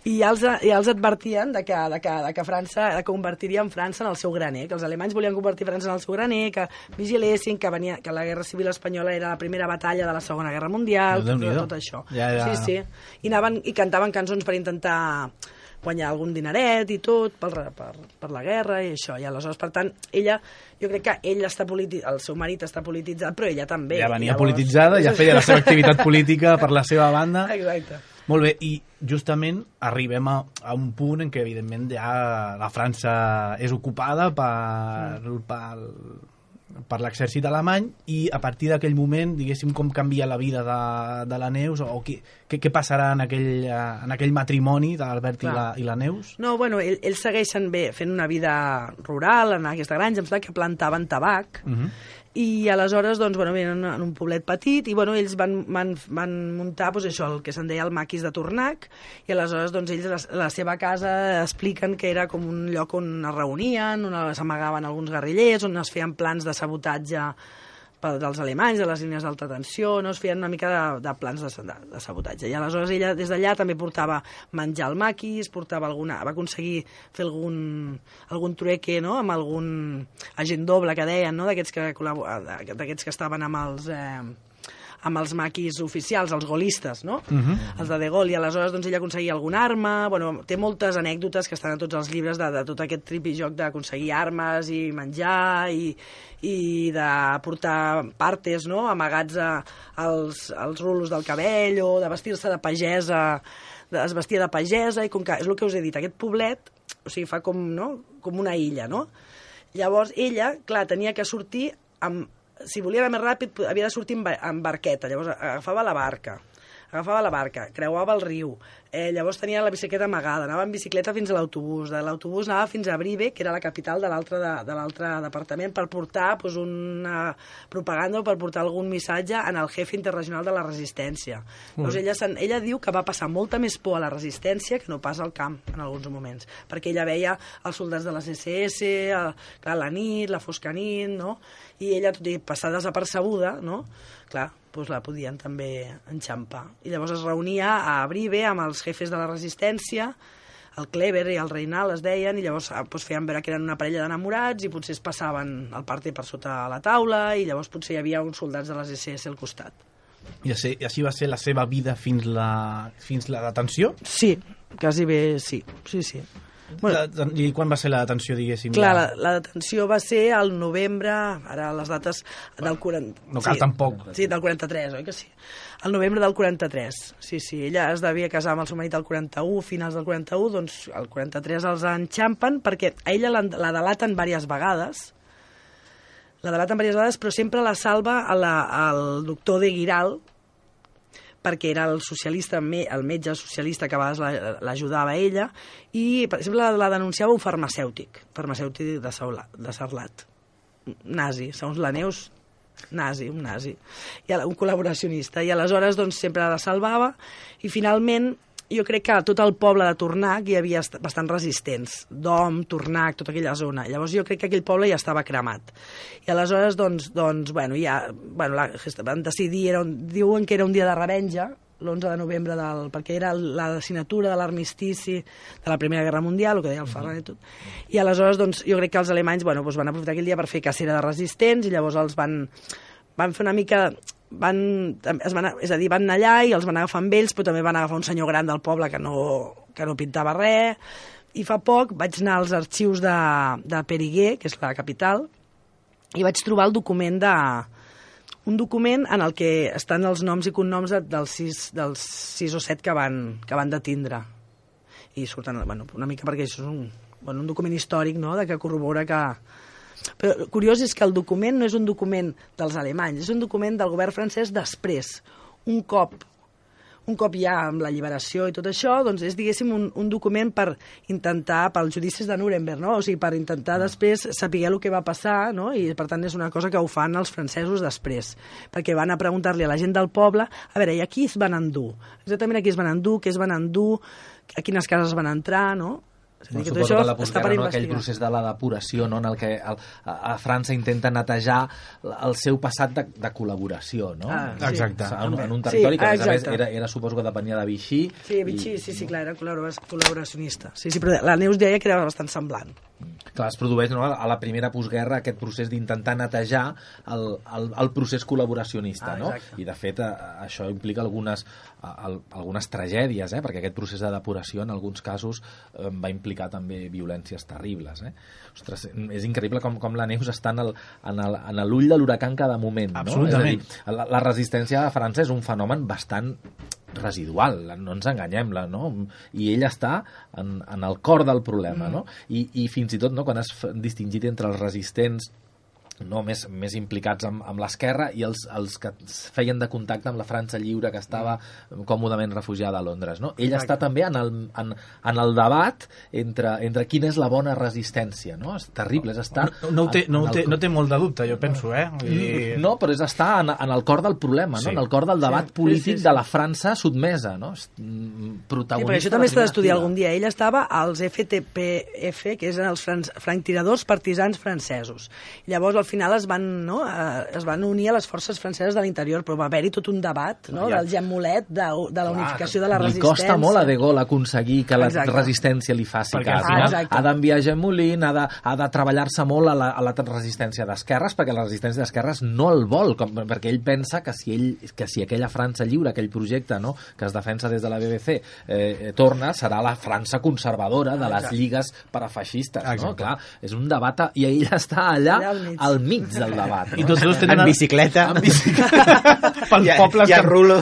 I ja els advertien que França convertirien França en el seu graner, que els alemanys volien convertir França en el seu graner, que vigilessin, que la Guerra Civil Espanyola era la primera batalla de la Segona Guerra Mundial, tot això. Ja. Sí. I cantaven cançons per intentar guanyar algun dineret i tot per la guerra i això. I aleshores, per tant, jo crec que el seu marit està polititzat, però ella també. Ja venia polititzada, ja feia la seva activitat política per la seva banda. Exacte. Molt bé, i justament arribem a un punt en què, evidentment, ja la França és ocupada per l'exèrcit alemany, i a partir d'aquell moment, diguéssim, com canvia la vida de la Neus, o què passarà en aquell matrimoni de l'Albert i la Neus? No, bueno, ells segueixen bé fent una vida rural en aquesta granja, em sembla que plantaven tabac, i aleshores, doncs, bueno, venen en un poblet petit, i bueno, ells van muntar això, el que se'n deia el maquis de Tornac, i aleshores, doncs, ells la seva casa expliquen que era com un lloc on es reunien, on s'amagaven alguns guerrillers, on es feien plans de sabotatge dels alemanys, de les línies d'alta tensió, no? Es feien una mica de plans de sabotatge. I aleshores ella des d'allà també portava menjar al maquis, va aconseguir fer algun trueque, no?, amb algun agent doble que deien, no?, d'aquests que estaven amb els maquis oficials, els gaullistes, no? Els de Gaulle, i aleshores doncs, ella aconseguia alguna arma. Bueno, té moltes anècdotes que estan a tots els llibres de tot aquest tripijoc d'aconseguir armes i menjar i de portar partes, no?, amagats als rulos del cabell, o de vestir-se de pagesa, es vestia de pagesa, i com que, és el que us he dit, aquest poblet, o sigui, fa com una illa, no?, Llavors ella, clar, tenia que sortir si volia anar més ràpid havia de sortir amb barqueta, llavors agafava la barca, creuava el riu, llavors tenia la bicicleta amagada, anava en bicicleta fins a l'autobús, de l'autobús anava fins a Brive, que era la capital de l'altre departament, per portar una propaganda o per portar algun missatge en el jefe internacional de la resistència. Llavors ella diu que va passar molta més por a la resistència que no pas al camp en alguns moments, perquè ella veia els soldats de les SS, clar, la nit, la fosca nit, no? I ella, tot i passar desapercebuda, no? Clar, doncs la podien també enxampar. I llavors es reunia a Brive amb els jefes de la resistència, el Kleber i el Reinal es deien, i llavors feien veure que eren una parella d'enamorats i potser es passaven el partit per sota la taula i llavors potser hi havia uns soldats de les SS al costat. I així va ser la seva vida fins la detenció? Sí, quasi bé sí. Bueno, i quan va ser la detenció, diguéssim? Clar, la detenció va ser al novembre, ara les dates del 40... No cal tampoc. Sí, del 43, oi que sí? El novembre del 43, sí. Ella es devia casar amb el seu marit al 41, finals del 41, doncs al 43 els enxampen perquè a ella la delaten diverses vegades, però sempre la salva el doctor de Guiral, perquè era el socialista, el metge socialista que a vegades l'ajudava a ella, i per exemple la denunciava un farmacèutic de Sarlat, nazi, segons la Neus, un nazi, un col·laboracionista, i aleshores doncs, sempre la salvava, i finalment jo crec que a tot el poble de Tornac hi havia bastants resistents, Dom, Tornac, tota aquella zona. Llavors jo crec que aquell poble ja estava cremat. I aleshores, van decidir, diuen que era un dia de revenja, l'11 de novembre, perquè era la signatura de l'armistici de la Primera Guerra Mundial, el que deia el Ferran i tot. I aleshores jo crec que els alemanys van aprofitar aquell dia per fer cacera de resistents i llavors els van fer una mica... van anar allà i els van agafar amb ells, però també van agafar un senyor gran del poble que no pintava res, i fa poc vaig anar als arxius de Périgueux, que és la capital, i vaig trobar un document en el que estan els noms i cognoms dels 6 o 7 que van detindre, i surten una mica perquè això és un document històric, no?, que corrobora que... Però curiós és que el document no és un document dels alemanys, és un document del govern francès després. Un cop ja amb l'alliberació i tot això, doncs és, diguéssim, un document per intentar, pels judicis de Nuremberg, no? O sigui, per intentar després saber el que va passar, no? I per tant és una cosa que ho fan els francesos després, perquè van a preguntar-li a la gent del poble, a veure, i a qui es van endur? Exactament a qui es van endur, què es van endur, a quines cases van entrar, no? Suposo que la postguerra, aquell procés de la depuració, en el que a França intenta netejar el seu passat de col·laboració, no? Exacte. En un territori que, a més, era suposo que depenia de Vichy. Sí, Vichy, sí, clar, era col·laboracionista. Sí, però la Neus deia que era bastant semblant. Clar, es produeix a la primera postguerra aquest procés d'intentar netejar el procés col·laboracionista, no? I de fet això implica algunes tragèdies, perquè aquest procés de depuració en alguns casos va implicar també violències terribles. Ostres, és increïble com la Neus està en l'ull de l'huracà en cada moment, no? Absolutament. És a dir, la resistència a França és un fenomen bastant residual, no ens enganyem, no? I ella està en el cor del problema, no? I fins i tot, no, quan has distingit entre els resistents més implicats amb l'esquerra i els que feien de contacte amb la França lliure que estava còmodament refugiada a Londres, no? Ella està també en el debat entre quina és la bona resistència, no? És terrible, és estar... No té molt de dubte, jo penso, No, però és estar en el cor del problema, no? En el cor del debat polític de la França sotmesa, no? Protagonista. Sí, perquè això també s'ha d'estudiar algun dia. Ella estava als FTPF, que eren els franctiradors partisans francesos. Llavors, al final es van unir a les forces franceses de l'interior, però va haver-hi tot un debat, no? Del gemmolet de la unificació de la resistència. Li costa molt a De Gaulle aconseguir que la resistència li faci cas. Ha d'enviar Jean Moulin, ha de treballar-se molt a la resistència d'esquerres, perquè la resistència d'esquerres no el vol, perquè ell pensa que si aquella França lliure, aquell projecte, no?, que es defensa des de la BBC, torna, serà la França conservadora de les lligues parafeixistes, no? Clar, és un debat, i ell està allà al mig del debat, no? I tots dos tenen... En bicicleta. Pels pobles... I a rulo.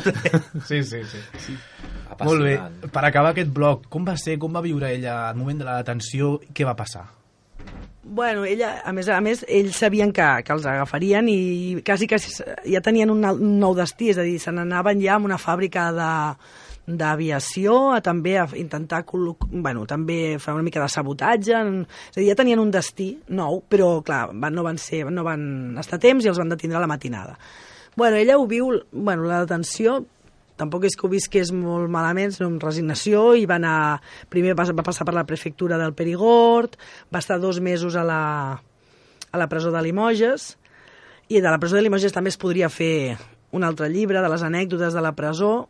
Sí. Molt bé. Per acabar aquest bloc, com va viure ella al moment de la detenció i què va passar? Bueno, ella, a més, ells sabien que els agafarien i quasi ja tenien un nou destí, és a dir, se n'anaven ja a una fàbrica d'aviació, també a intentar també fer una mica de sabotatge, és a dir, ja tenien un destí nou, però clar, no van estar a temps i els van detindre a la matinada. Bueno, ella ho viu, la detenció tampoc és que ho visqués molt malament, sinó amb resignació, i primer va passar per la prefectura del Perigord, va estar 2 mesos a la presó de Limoges, i de la presó de Limoges també es podria fer un altre llibre de les anècdotes de la presó,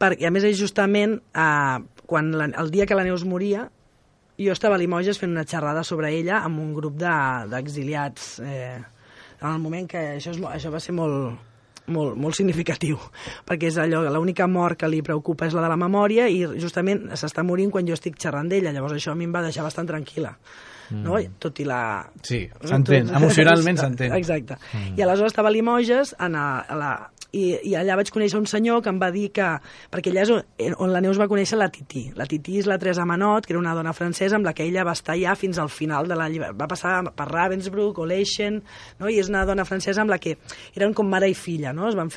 perquè a més justament el dia que la Neus moria, jo estava a Limoges fent una xerrada sobre ella amb un grup d'exiliats, en el moment que això va ser molt significatiu, perquè és allò, l'única mort que li preocupa és la de la memòria i justament s'està morint quan jo estic xerrant d'ella, llavors això a mi em va deixar bastant tranquil·la, no? Tot i la... Sí, s'entén, emocionalment s'entén. Exacte. I aleshores estava a Limoges, i allà vaig conèixer un senyor que em va dir que... Perquè allà és on la Neus va conèixer la Tití. La Tití és la Teresa Manot, que era una dona francesa amb la que ella va estar ja fins al final de la llibertat. Va passar per Ravensbrück o Leichen, no? I és una dona francesa amb la que eren com mare i filla, no? Van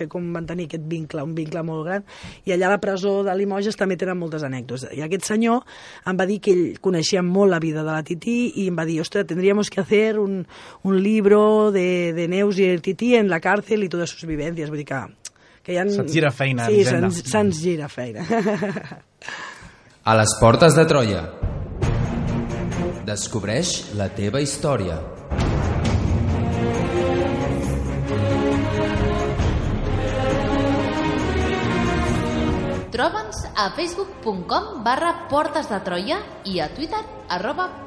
tenir aquest vincle, un vincle molt gran. I allà a la presó de Limoges també tenen moltes anècdotes. I aquest senyor em va dir que ell coneixia molt la vida de la Tití i em va dir, ostres, tendríamos que hacer un libro de Neus y el Tití en la cárcel y todas sus vivencias. Vull dir que se'ns gira feina. Sí, se'ns gira feina. A les portes de Troia. Descobreix la teva història. Troba'ns a facebook.com/Portes de Troia i a Twitter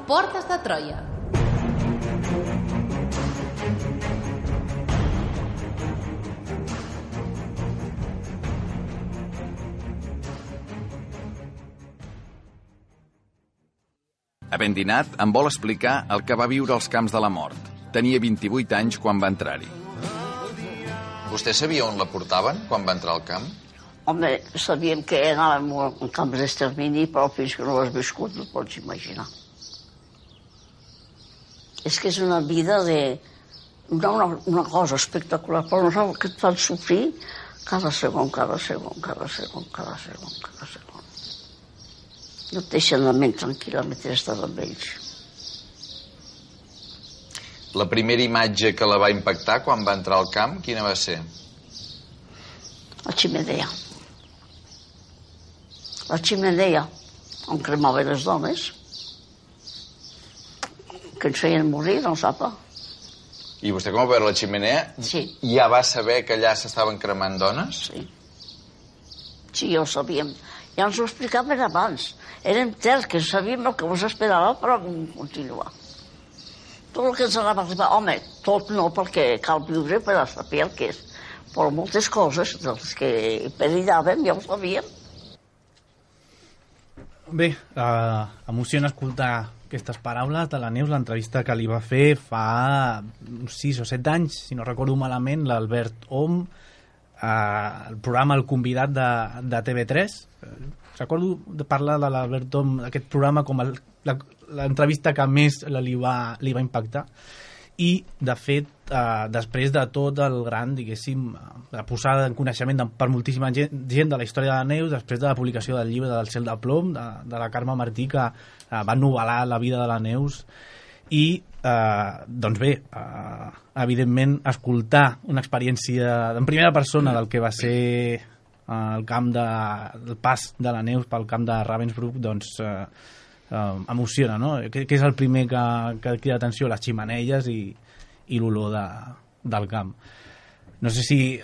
@Portes de Troia. Havent dinat, em vol explicar el que va viure als camps de la mort. Tenia 28 anys quan va entrar-hi. Vostè sabia on la portaven quan va entrar al camp? Home, sabíem que anàvem en camps d'extermini, però fins que no ho has viscut no pots imaginar. És que és una vida una cosa espectacular, però no saps que et fan sofrir cada segon. No et deixen la ment tranquil·la mentre estàs amb ells. La primera imatge que la va impactar quan va entrar al camp, quina va ser? La ximenea. La ximenea on cremaven les dones, que ens feien morir, no sap? I vostè, com va veure la ximenea, ja va saber que allà s'estaven cremant dones? Sí. Sí, ja ho sabíem. Ja ens ho explicaven abans. Érem terques, sabíem el que ens esperava per continuar. Tot el que ens anava a arribar, home, tot no, perquè cal viure per a saber el que és, però moltes coses dels que perillàvem ja ho sabíem. Bé, emociona escoltar aquestes paraules de la Neus, l'entrevista que li va fer fa 6 o 7 anys, si no recordo malament, l'Albert Om, el programa El Convidat de TV3. Recordo de parlar de l'Albert Om, aquest programa, com l'entrevista que més li va impactar. I, de fet, després de tot el gran, diguéssim, la posada en coneixement per moltíssima gent de la història de la Neus, després de la publicació del llibre del Cel de Plom, de la Carme Martí, que va novel·lar la vida de la Neus, i, doncs bé, evidentment, escoltar una experiència en primera persona del que va ser el pas de la Neus pel camp de Ravensbrück, doncs emociona, no? Què és el primer que crida atenció? Les ximeneies i l'olor del camp. No sé si,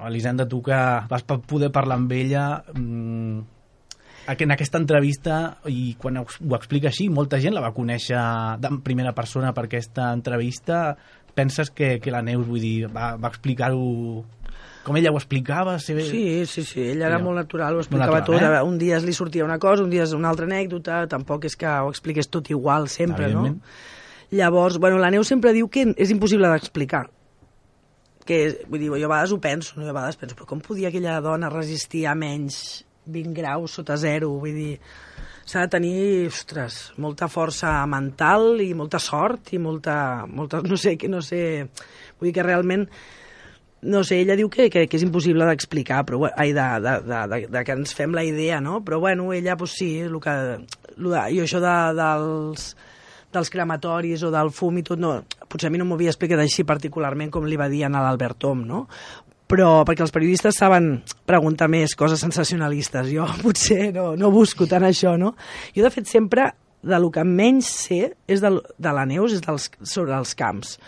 Elisenda, tu que vas poder parlar amb ella en aquesta entrevista, i quan ho explica així, molta gent la va conèixer en primera persona per aquesta entrevista. Penses que la Neus, vull dir, va explicar-ho com ella ho explicava? Sí, ella era molt natural, ho explicava tot. Un dia li sortia una cosa, un dia una altra anècdota, tampoc és que ho expliqués tot igual sempre, no? Llavors, la Neus sempre diu que és impossible d'explicar. Vull dir, jo a vegades ho penso, però com podia aquella dona resistir a menys 20 graus sota zero, vull dir, s'ha de tenir, ostres, molta força mental i molta sort i molta no sé, vull dir que realment, no sé, ella diu que és impossible d'explicar, però de que ens fem la idea, no? Però bueno, ella, doncs sí, i això dels crematoris o del fum i tot, no, potser a mi no m'ho havia explicat així particularment com li va dir a l'Albert Tom, no? Però perquè els periodistes saben preguntar més coses sensacionalistes, jo potser no busco tant això, no? Jo, de fet, sempre, del que menys sé és de la Neus, és sobre els camps.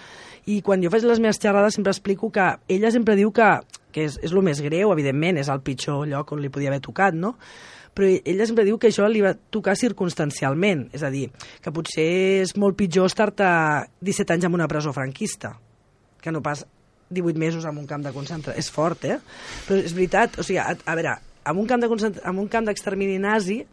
I quan jo faig les meves xerrades sempre explico que ella sempre diu que és el més greu, evidentment, és el pitjor lloc on li podia haver tocat, no? Però ella sempre diu que això li va tocar circumstancialment, és a dir, que potser és molt pitjor estar-te 17 anys en una presó franquista, que no pas 18 mesos en un camp de concentració. És fort, eh? Però és veritat, o sigui, a veure, en un camp d'extermini nazi,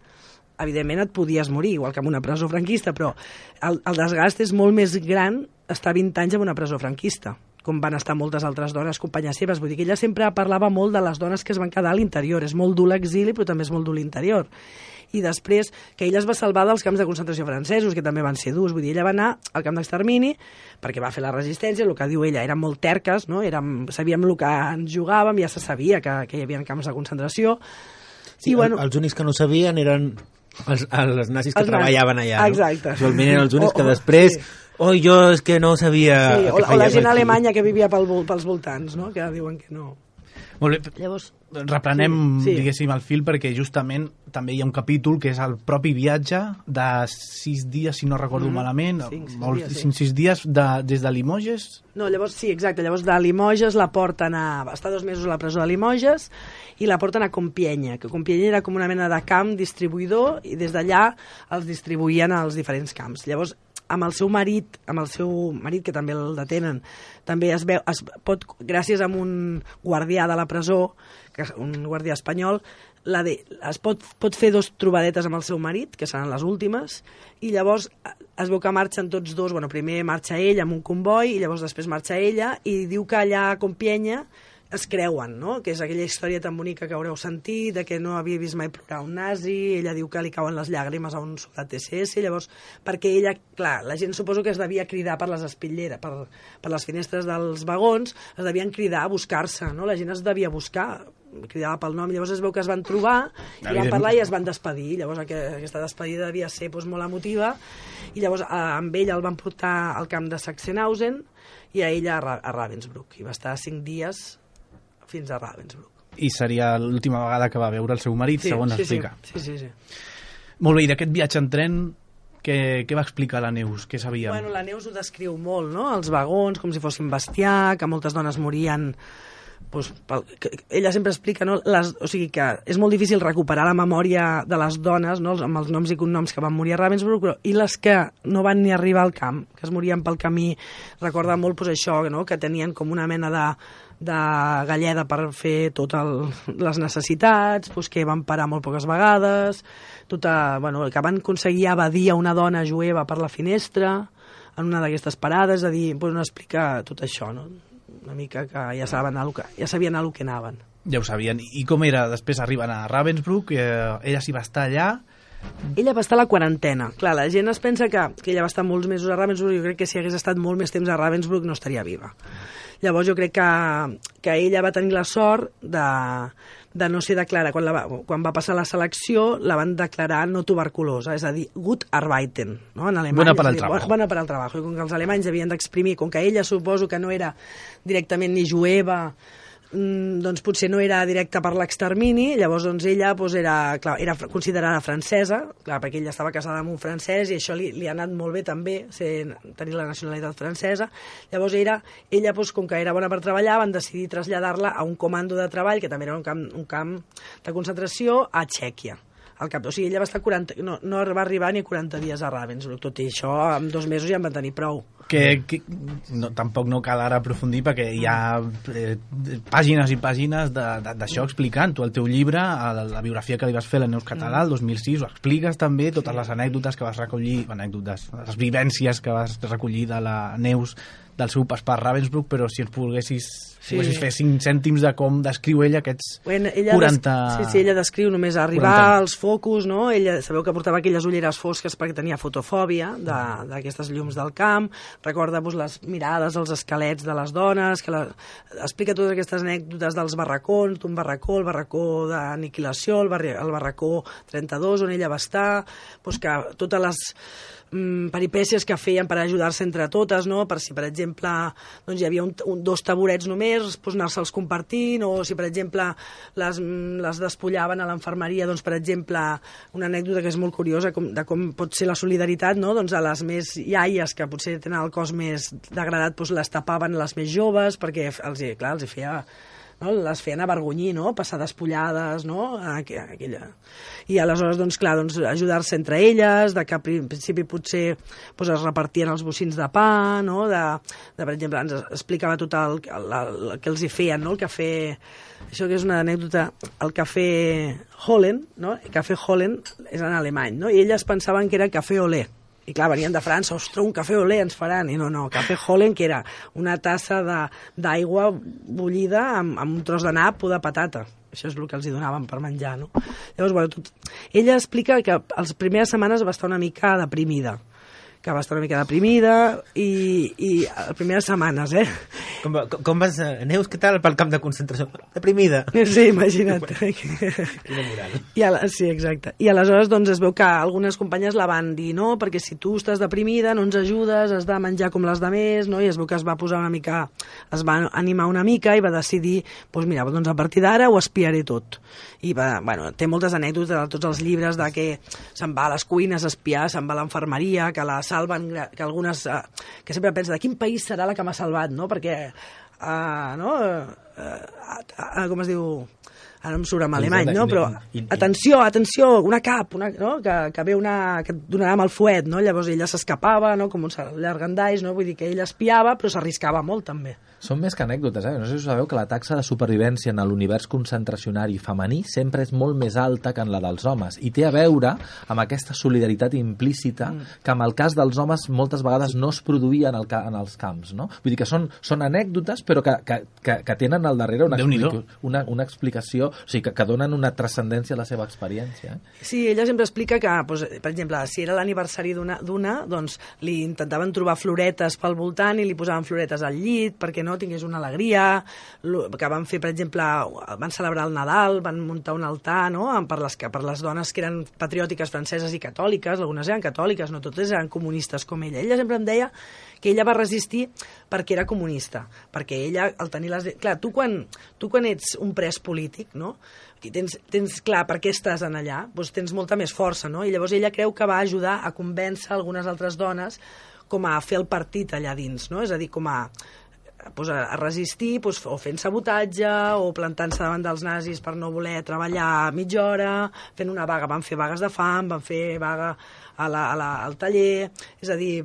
evidentment et podies morir, igual que en una presó franquista, però el desgast és molt més gran estar 20 anys en una presó franquista, com van estar moltes altres dones, companyes seves. Vull dir que ella sempre parlava molt de les dones que es van quedar a l'interior. És molt dur l'exili, però també és molt dur l'interior. I després, que ella es va salvar dels camps de concentració francesos, que també van ser durs. Vull dir, ella va anar al camp d'extermini perquè va fer la resistència, el que diu ella, eren molt terques, no? Sabíem el que ens jugàvem, ja se sabia que hi havia camps de concentració. Sí, i, bueno, els únics que no sabien eren els nazis que treballaven allà, no? Exacte. Usualment eren els únics que després... Sí. Jo és que no sabia... Sí, o la gent alemanya que vivia pels voltants, no? Que diuen que no... Molt bé. Llavors, reprenem, diguéssim, el fil, perquè justament també hi ha un capítol que és el propi viatge de 6 dies, si no recordo malament, 5-6 dies des de Limoges. No, llavors sí, exacte, llavors de Limoges la porten a... Està 2 mesos a la presó de Limoges i la porten a Compiègne, que Compiègne era com una mena de camp distribuïdor i des d'allà els distribuïen als diferents camps. Llavors, amb el seu marit, que també el detenen, també es pot, gràcies a un guardià de la presó, un guardià espanyol, es pot fer 2 trobadetes amb el seu marit, que seran les últimes, i llavors es veu que marxen tots dos, primer marxa ell amb un comboi, i llavors després marxa ella, i diu que allà a Compiègne es creuen, no? Que és aquella història tan bonica que haureu sentit, de que no havia vist mai plorar un nazi, ella diu que li cauen les llàgrimes a un soldat SS, llavors, perquè ella, clar, la gent suposo que es devia cridar per les espitlleres, per les finestres dels vagons, es devien cridar a buscar-se, no? La gent es devia buscar, cridava pel nom, llavors es veu que es van trobar, i van parlar i es van despedir, llavors aquesta despedida devia ser molt emotiva, i llavors amb ell el van portar al camp de Sachsenhausen i a ella a Ravensbrück, i va estar 5 dies fins a Ravensbrück. I seria l'última vegada que va veure el seu marit, segons explica. Sí. Molt bé, i d'aquest viatge en tren, què va explicar la Neus? Què sabíem? Bueno, la Neus ho descriu molt, no? Els vagons, com si fossin bestiar, que moltes dones morien... ella sempre explica, no? O sigui que és molt difícil recuperar la memòria de les dones, no? Amb els noms i cognoms que van morir a Ravensbrück, i les que no van ni arribar al camp, que es morien pel camí. Recorda molt això, no? Que tenien com una mena de galleda per fer totes les necessitats, que van parar molt poques vegades, que van aconseguir evadir a una dona jueva per la finestra en una d'aquestes parades, és a dir, no explica tot això, no? Una mica que ja sabien el que anaven. Ja ho sabien. I com era? Després arriben a Ravensbrück, ella s'hi va estar allà. Ella va estar a la quarantena. Clar, la gent es pensa que ella va estar molts mesos a Ravensbrück, jo crec que si hagués estat molt més temps a Ravensbrück no estaria viva. Llavors jo crec que ella va tenir la sort de no ser declarada. Quan va passar la selecció la van declarar no tuberculosa, és a dir, gut arbeiten, no? En alemany. Buena para el trabajo. Buena para el trabajo. I com que els alemanys havien d'exprimir, com que ella suposo que no era directament ni jueva, doncs potser no era directa per l'extermini, llavors doncs ella era considerada francesa, clar, perquè ella estava casada amb un francès i això li ha anat molt bé també, tenir la nacionalitat francesa. Llavors ella com que era bona per treballar, van decidir traslladar-la a un comando de treball, que també era un camp de concentració, a Txèquia. O sigui, ella va estar no va arribar ni 40 dies a Ravensbrück, tot i això en 2 mesos ja en van tenir prou. Tampoc no cal ara aprofundir perquè hi ha pàgines i pàgines d'això explicant. Tu al teu llibre, la biografia que li vas fer a la Neus Català el 2006, ho expliques també, totes les anècdotes que vas recollir, les vivències que vas recollir de la Neus del seu pas per Ravensbrück, però si ens volguessis Si haguessis fer 5 cèntims de com descriu ella aquests ella 40... Sí, ella descriu només arribar als focus, no? Ella, sabeu que portava aquelles ulleres fosques perquè tenia fotofòbia d'aquestes llums del camp, recorda les mirades, els esquelets de les dones, explica totes aquestes anècdotes dels barracons, d'un barracó, el barracó d'aniquilació, el barracó 32, on ella va estar, que totes les peripècies que feien per ajudar-se entre totes, no? Per si, per exemple, doncs hi havia dos taburets només, anar-se'ls compartint, o si, per exemple, les despullaven a l'infermeria, doncs, per exemple, una anècdota que és molt curiosa de com pot ser la solidaritat, no? Doncs a les més iaies, que potser tenen el cos més degradat, doncs les tapaven les més joves, perquè els hi feia... No? Les feien avergonyir, no? Passar despullades, no? I aleshores, doncs, clar, ajudar-se entre elles, de que al principi potser es repartien els bocins de pa, no? Per exemple, ens explicava tot el que els hi feien, no? El cafè... Això que és una anècdota, el cafè Holland, no? El cafè Holland és en alemany, no? I elles pensaven que era cafè olé. I clar, venien de França, ostres, un cafè olé ens faran. I no, cafè Holland, que era una tassa d'aigua bullida amb un tros de nap o de patata. Això és el que els hi donaven per menjar, no? Llavors, ella explica que les primeres setmanes va estar una mica deprimida. I les primeres setmanes, Com vas, Neus, què tal pel camp de concentració? Deprimida. Sí, imagina't. Quina moral. Sí, exacte. I aleshores doncs, es veu que algunes companyes la van dir, no, perquè si tu estàs deprimida no ens ajudes, has de menjar com les demés, no? I es veu que es va posar una mica, es va animar una mica i va decidir, doncs mira, doncs a partir d'ara ho espiaré tot. I té moltes anècdotes de tots els llibres de que se'n va a les cuines a espiar, se'n va a l'infermeria, que la salven, que algunes... que sempre pensa, de quin país serà la que m'ha salvat, no? Perquè, com es diu... Ara no em surt en alemany, no? Però, atenció, una cap, no? Que ve que et donarà amb el fuet, no? Llavors ella s'escapava, no? Com un llargandais, no? Vull dir que ella espiava, però s'arriscava molt, també. Són més que anècdotes, No sé si sabeu que la taxa de supervivència en l'univers concentracionari femení sempre és molt més alta que en la dels homes, i té a veure amb aquesta solidaritat implícita que en el cas dels homes moltes vegades no es produïa en els camps, no? Vull dir que són anècdotes, però que tenen al darrere una explicació, o sigui, que donen una transcendència a la seva experiència. Sí, ella sempre explica que, per exemple, si era l'aniversari d'una, doncs li intentaven trobar floretes pel voltant i li posaven floretes al llit perquè no tingués una alegria, que van fer, per exemple, van celebrar el Nadal, van muntar un altar, no?, per les dones que eren patriòtiques franceses i catòliques, algunes eren catòliques, no totes eren comunistes com ella. Ella sempre em deia que ella va resistir perquè era comunista, perquè ella, al tenir les... Clar, tu quan ets un pres polític, no?, i tens clar per què estàs en allà, doncs tens molta més força, no?, i llavors ella creu que va ajudar a convèncer algunes altres dones com a fer el partit allà dins, no?, és a dir, com a resistir, o fent sabotatge, o plantant-se davant dels nazis per no voler treballar mitja hora, fent una vaga, van fer vagues de fam, van fer vaga al taller, és a dir,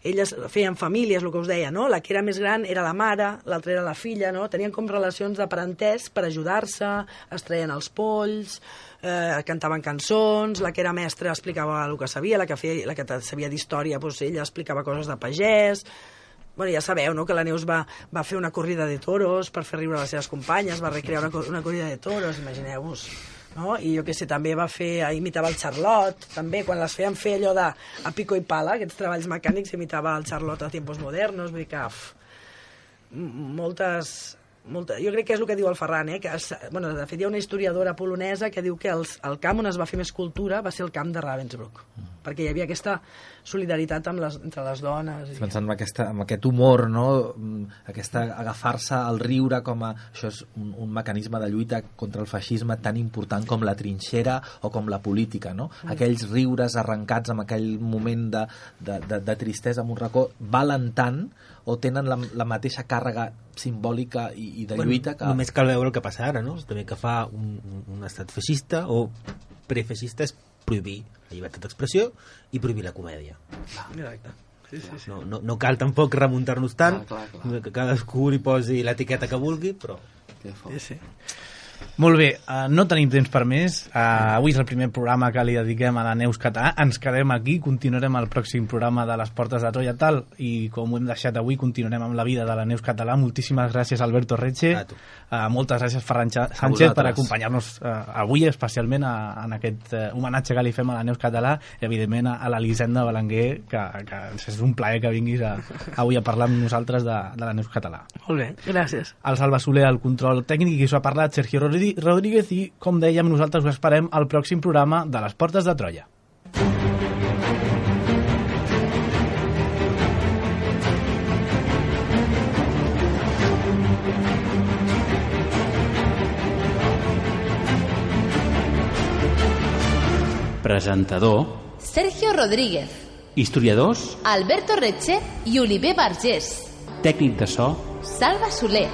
elles feien famílies, el que us deia, no? La que era més gran era la mare, l'altra era la filla, no? Tenien com relacions de parentès per ajudar-se, es treien els polls, cantaven cançons, la que era mestra explicava el que sabia, la que sabia d'història, doncs ella explicava coses de pagès. Bueno, ja sabeu, no?, que la Neus va fer una corrida de toros per fer riure les seves companyes, va recrear una corrida de toros, imagineu-vos, no? I jo què sé, també imitava el Charlot, també, quan les feien fer allò de a pico i pala, aquests treballs mecànics, imitava el Charlot a tiempos modernos, vull dir que jo crec que és el que diu el Ferran, que de fet hi ha una historiadora polonesa que diu que el camp on es va fer més cultura va ser el camp de Ravensbrück, perquè hi havia aquesta solidaritat entre les dones. Pensant en aquest humor, no? Agafar-se al riure com a... Això és un mecanisme de lluita contra el feixisme tan important com la trinxera o com la política, no? Aquells riures arrencats en aquell moment de tristesa en un racó valen tant o tenen la mateixa càrrega simbòlica i de lluita que... Només cal veure el que passa ara, no? També que fa un estat feixista o prefeixista és prohibir la llibertat d'expressió i prohibir la comèdia. Exacte. Sí. No cal tampoc remuntar-nos tant, que cadascú li posi l'etiqueta que vulgui, però... Sí. Molt bé, no tenim temps per més. Avui és el primer programa que li dediquem a la Neus Català. Ens quedem aquí, continuarem el pròxim programa de les Portes de Troia tal, i com ho hem deixat avui, continuarem amb la vida de la Neus Català. Moltíssimes gràcies, Alberto Retxe. Moltes gràcies, Ferran Sánchez, per acompanyar-nos avui, especialment en aquest homenatge que li fem a la Neus Català, i evidentment a l'Elisenda Belenguer, que és un plaer que vinguis avui a parlar amb nosaltres de la Neus Català. Molt bé, gràcies. El Salva Soler, el control tècnic, i us ha parlat Sergio Rodríguez, i com dèiem, nosaltres us esperem al pròxim programa de les Portes de Troia. Presentador Sergio Rodríguez. Historiadors Alberto Retxe i Oliver Vergés. Tècnic de so Salva Soler.